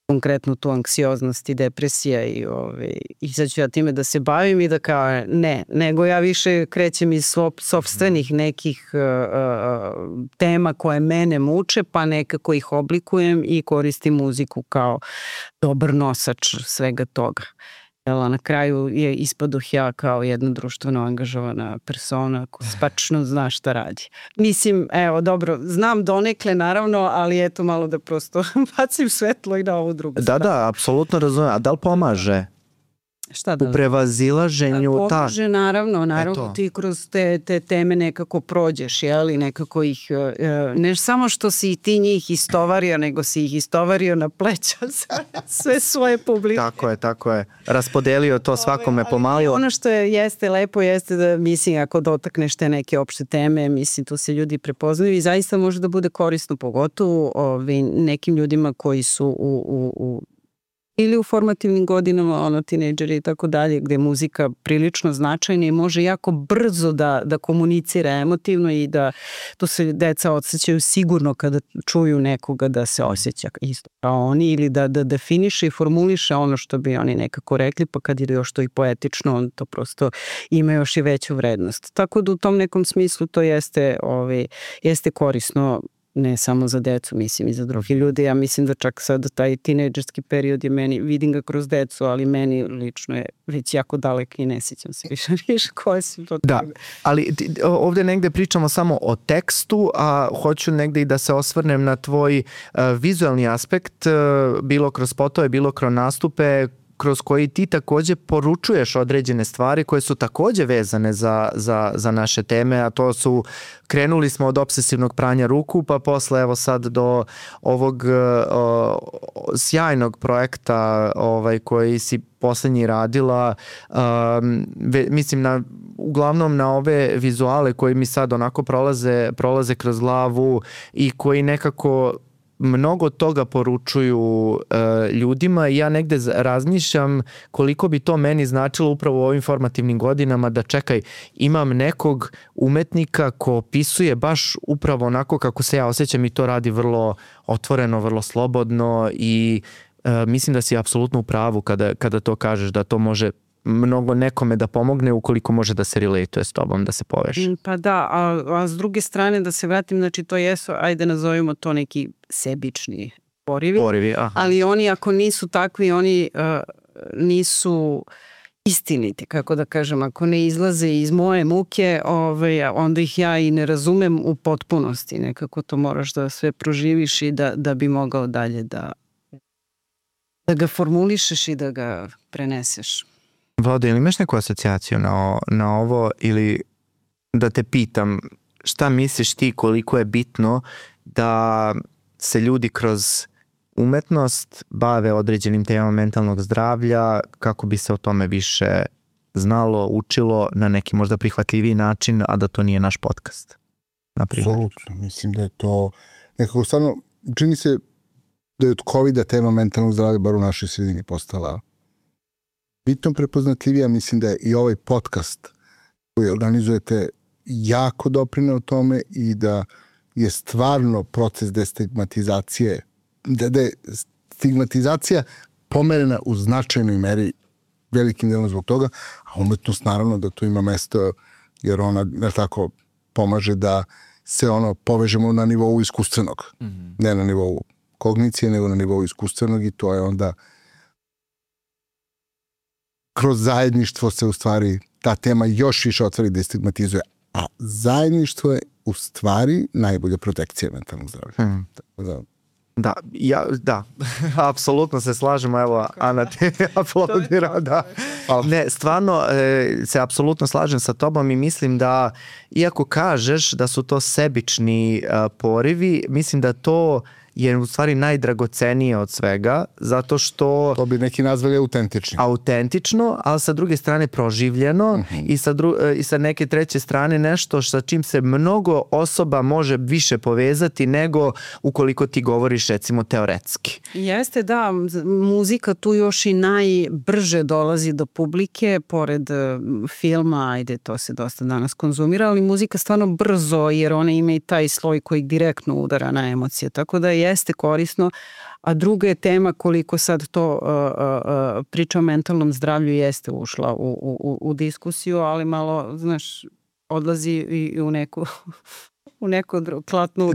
konkretno tu anksioznost i depresija i sad ću ja time da se bavim i da kao ne, nego ja više krećem iz sopstvenih nekih tema koje mene muče, pa nekako ih oblikujem i koristim muziku kao dobar nosač svega toga. Na kraju je ispadoh ja kao jedna društveno angažovana persona koja spačno zna šta radi. Mislim, dobro, znam donekle naravno, ali eto malo da prosto bacim svetlo i na ovu drugu stranu. Da, apsolutno razumem. A da li pomaže? Šta da? U prevazilaženju pomaže, naravno ti kroz te teme nekako prođeš, i nekako ih, ne samo što si i ti njih istovario, nego si ih istovario na pleća sve svoje publike. Tako je. Raspodelio to svakome pomalo. Ono što jeste lepo jeste da, mislim, ako dotakneš te neke opšte teme, mislim, tu se ljudi prepoznaju i zaista može da bude korisno, pogotovo nekim ljudima koji su ili u formativnim godinama, tinejdžeri i tako dalje, gde je muzika prilično značajna i može jako brzo da komunicira emotivno i da to se deca osjećaju sigurno kada čuju nekoga da se osjeća isto kao oni ili da definiše i formuliše ono što bi oni nekako rekli, pa kad je još to i poetično, on to prosto ima još i veću vrednost. Tako da u tom nekom smislu to jeste korisno, ne samo za decu, mislim i za drugi ljudi. Ja mislim da čak sad taj tinejdžerski period je meni, vidim ga kroz decu, ali meni lično je već jako dalek i ne sjećam se više koje su to. Da, ali ovdje negde pričamo samo o tekstu, a hoću negde i da se osvrnem na tvoj vizualni aspekt, bilo kroz spotove, bilo kroz nastupe. kroz koji ti takođe poručuješ određene stvari koje su takođe vezane za naše teme, a to su, krenuli smo od obsesivnog pranja ruku, pa posle evo sad do ovog sjajnog projekta koji si poslednji radila, mislim uglavnom na ove vizuale koji mi sad onako prolaze kroz glavu i koji nekako mnogo toga poručuju ljudima i ja negde razmišljam koliko bi to meni značilo upravo u ovim formativnim godinama da čekaj, imam nekog umetnika ko opisuje baš upravo onako kako se ja osjećam i to radi vrlo otvoreno, vrlo slobodno i mislim da si apsolutno u pravu kada to kažeš da to može mnogo nekome da pomogne ukoliko može da se relatuje s tobom, da se poveže. Pa da, a s druge strane da se vratim, znači to jesu, ajde nazovimo to neki sebični porivi, ali oni ako nisu takvi, oni nisu istiniti, kako da kažem, ako ne izlaze iz moje muke, onda ih ja i ne razumem u potpunosti, nekako to moraš da sve proživiš i da bi mogao dalje da ga formulišeš i da ga preneseš. Vlado, ili imaš neku asocijaciju na ovo ili da te pitam šta misliš ti koliko je bitno da se ljudi kroz umetnost bave određenim temama mentalnog zdravlja kako bi se o tome više znalo, učilo na neki možda prihvatljiviji način, a da to nije naš podcast? Apsolutno, mislim da je to nekako stvarno, čini se da je od COVID-a tema mentalnog zdravlja bar u našoj sredini postala bitno prepoznatljivija. Mislim da je i ovaj podcast koji organizujete jako doprineo tome i da je stvarno proces destigmatizacije, da je stigmatizacija pomerena u značajnoj meri velikim delom zbog toga, a umetnost naravno da tu ima mesto jer ona tako pomaže da se povežemo na nivou iskustvenog, ne na nivou kognicije, nego na nivou iskustvenog i to je onda kroz zajedništvo se u stvari ta tema još više otvori da stigmatizuje. A zajedništvo je u stvari najbolja protekcija mentalnog zdravlja. Da, apsolutno se slažemo, evo Ana te aplaudira, da. Ne, stvarno se apsolutno slažem sa tobom i mislim da, iako kažeš da su to sebični porivi, mislim da to je u stvari najdragocenije od svega, zato što... To bi neki nazvali autentično, ali sa druge strane proživljeno i sa neke treće strane nešto sa čim se mnogo osoba može više povezati nego ukoliko ti govoriš recimo teoretski. Jeste, da, muzika tu još i najbrže dolazi do publike, pored filma, ajde, to se dosta danas konzumira, ali muzika stvarno brzo, jer ona ima i taj sloj koji direktno udara na emocije, tako da jeste korisno, a druga je tema koliko sad to priča o mentalnom zdravlju jeste ušla u diskusiju, ali malo, znaš, odlazi i u neku klatnu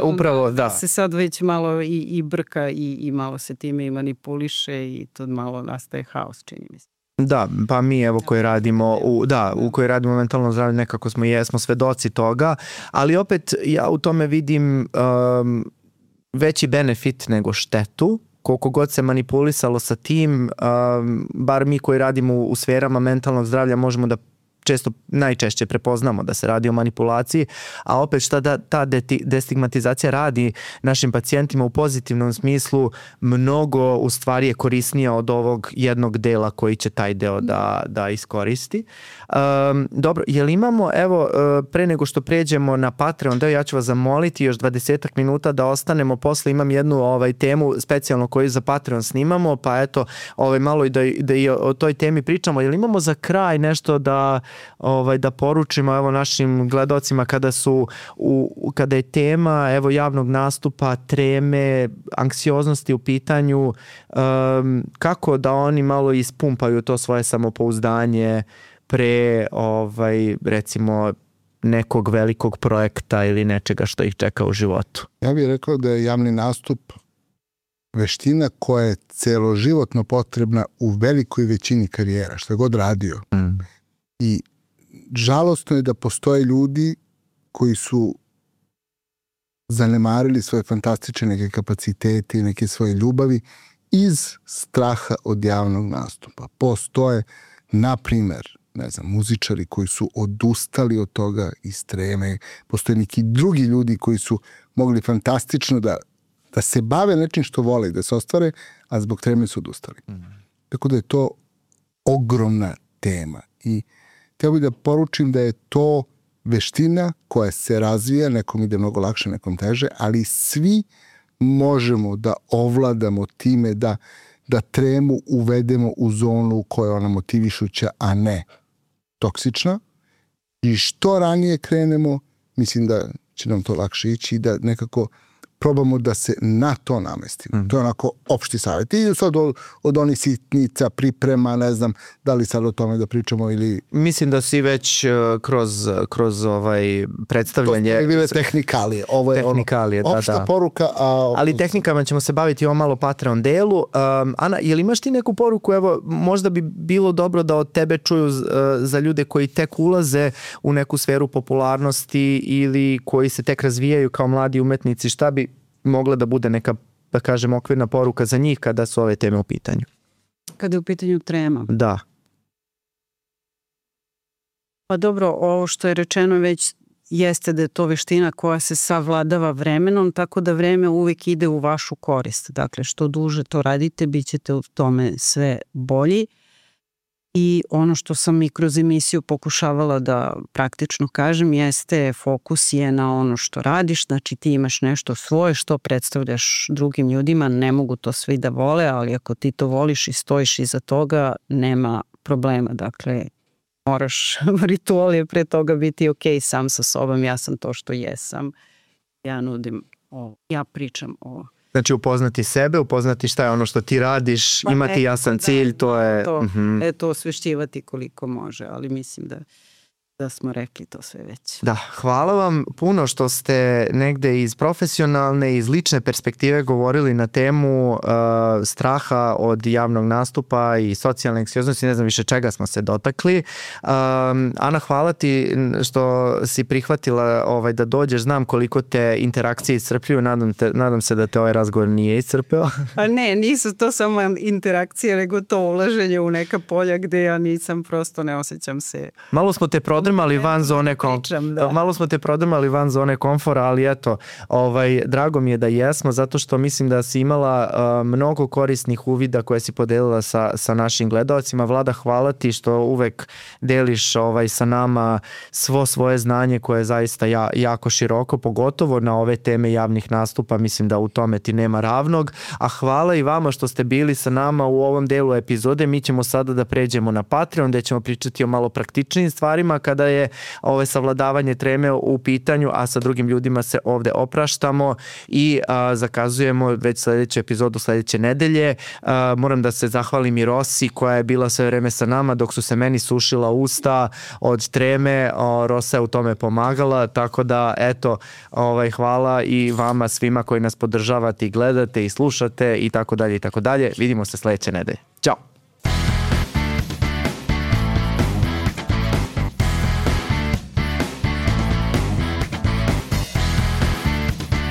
upravo, da. Se sad već malo i brka i malo se time i manipuliše i to malo nastaje haos, čini mi se. Da, pa mi evo koji radimo u kojoj radimo mentalno zdravlje nekako jesmo svedoci toga, ali opet ja u tome vidim veći benefit nego štetu. Koliko god se manipulisalo sa tim, bar mi koji radimo u sferama mentalnog zdravlja možemo da najčešće prepoznamo da se radi o manipulaciji, a opet šta ta destigmatizacija radi našim pacijentima u pozitivnom smislu, mnogo u stvari je korisnija od ovog jednog dela koji će taj deo da iskoristi. Dobro, jel imamo, evo, pre nego što pređemo na Patreon deo, ja ću vas zamoliti još 20 minuta da ostanemo, posle imam jednu temu specijalno koju za Patreon snimamo, pa eto, malo i da i o toj temi pričamo. Jel imamo za kraj nešto da poručimo evo našim gledocima kada je tema evo javnog nastupa, treme, anksioznosti u pitanju, kako da oni malo ispumpaju to svoje samopouzdanje pre recimo nekog velikog projekta ili nečega što ih čeka u životu? Ja bih rekao da je javni nastup veština koja je celoživotno potrebna u velikoj većini karijera, što je god radio. I žalostno je da postoje ljudi koji su zanemarili svoje fantastične neke kapacitete i neke svoje ljubavi iz straha od javnog nastupa. Postoje, na primer, ne znam, muzičari koji su odustali od toga iz treme, postoje neki drugi ljudi koji su mogli fantastično da se bave nečim što vole, da se ostvare, a zbog treme su odustali. Tako da je to ogromna tema i htio bih da poručim da je to veština koja se razvija, nekom ide mnogo lakše, nekom teže, ali svi možemo da ovladamo time da tremu uvedemo u zonu koja je ona motivišuća, a ne toksična. I što ranije krenemo, mislim da će nam to lakše ići i da nekako probamo da se na to namestimo. To je onako opšti savjet. I sad od onih sitnica, priprema, ne znam da li sad o tome da pričamo ili... Mislim da si već kroz predstavljanje... To je bile tehnikalije. Ovo je tehnikalije, opšta poruka. Ali tehnikama ćemo se baviti o malo Patreon delu. Ana, je li imaš ti neku poruku? Evo, možda bi bilo dobro da od tebe čuju za ljude koji tek ulaze u neku sferu popularnosti ili koji se tek razvijaju kao mladi umetnici. Šta bi mogla da bude neka, da kažem, okvirna poruka za njih kada su ove teme u pitanju? Kada je u pitanju trema? Da. Pa dobro, ovo što je rečeno već jeste da je to veština koja se savladava vremenom, tako da vreme uvijek ide u vašu korist. Dakle, što duže to radite, bit ćete u tome sve bolji. I ono što sam i kroz emisiju pokušavala da praktično kažem jeste fokus je na ono što radiš, znači ti imaš nešto svoje što predstavljaš drugim ljudima, ne mogu to svi da vole, ali ako ti to voliš i stojiš iza toga, nema problema. Dakle, moraš, ritual je pre toga biti ok sam sa sobom, ja sam to što jesam, ja nudim ovo, ja pričam ovo. Znači upoznati sebe, upoznati šta je ono što ti radiš, imati jasan cilj, to je... To osvešćivati koliko može, ali mislim da smo rekli to sve već. Da, hvala vam puno što ste negde iz profesionalne, iz lične perspektive govorili na temu straha od javnog nastupa i socijalne anksioznosti, ne znam više čega smo se dotakli. Ana, hvala ti što si prihvatila da dođeš, znam koliko te interakcije iscrpljuju, nadam se da te ovaj razgovor nije iscrpeo. A ne, nisu to samo interakcije, nego to ulaženje u neka polja gde ja nisam, prosto ne osjećam se... Malo smo te prodrmali van zone van zone komfora, ali eto, drago mi je da jesmo, zato što mislim da si imala mnogo korisnih uvida koje si podelila sa našim gledaocima. Vlada, hvala ti što uvek deliš sa nama svo svoje znanje koje je zaista jako široko, pogotovo na ove teme javnih nastupa, mislim da u tome ti nema ravnog, a hvala i vama što ste bili sa nama u ovom delu epizode. Mi ćemo sada da pređemo na Patreon, gde ćemo pričati o malo praktičnijim stvarima kada je savladavanje treme u pitanju, a sa drugim ljudima se ovde opraštamo i zakazujemo već sledeću epizodu sledeće nedelje. Moram da se zahvalim i Rosi koja je bila sve vreme sa nama dok su se meni sušila usta od treme. Rosa je u tome pomagala, tako da eto, hvala i vama svima koji nas podržavate i gledate i slušate i tako dalje i tako dalje. Vidimo se sledeće nedelje. Ćao!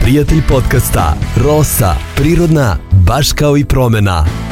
Prijatelj podcasta Rosa, prirodna, baš kao i promena.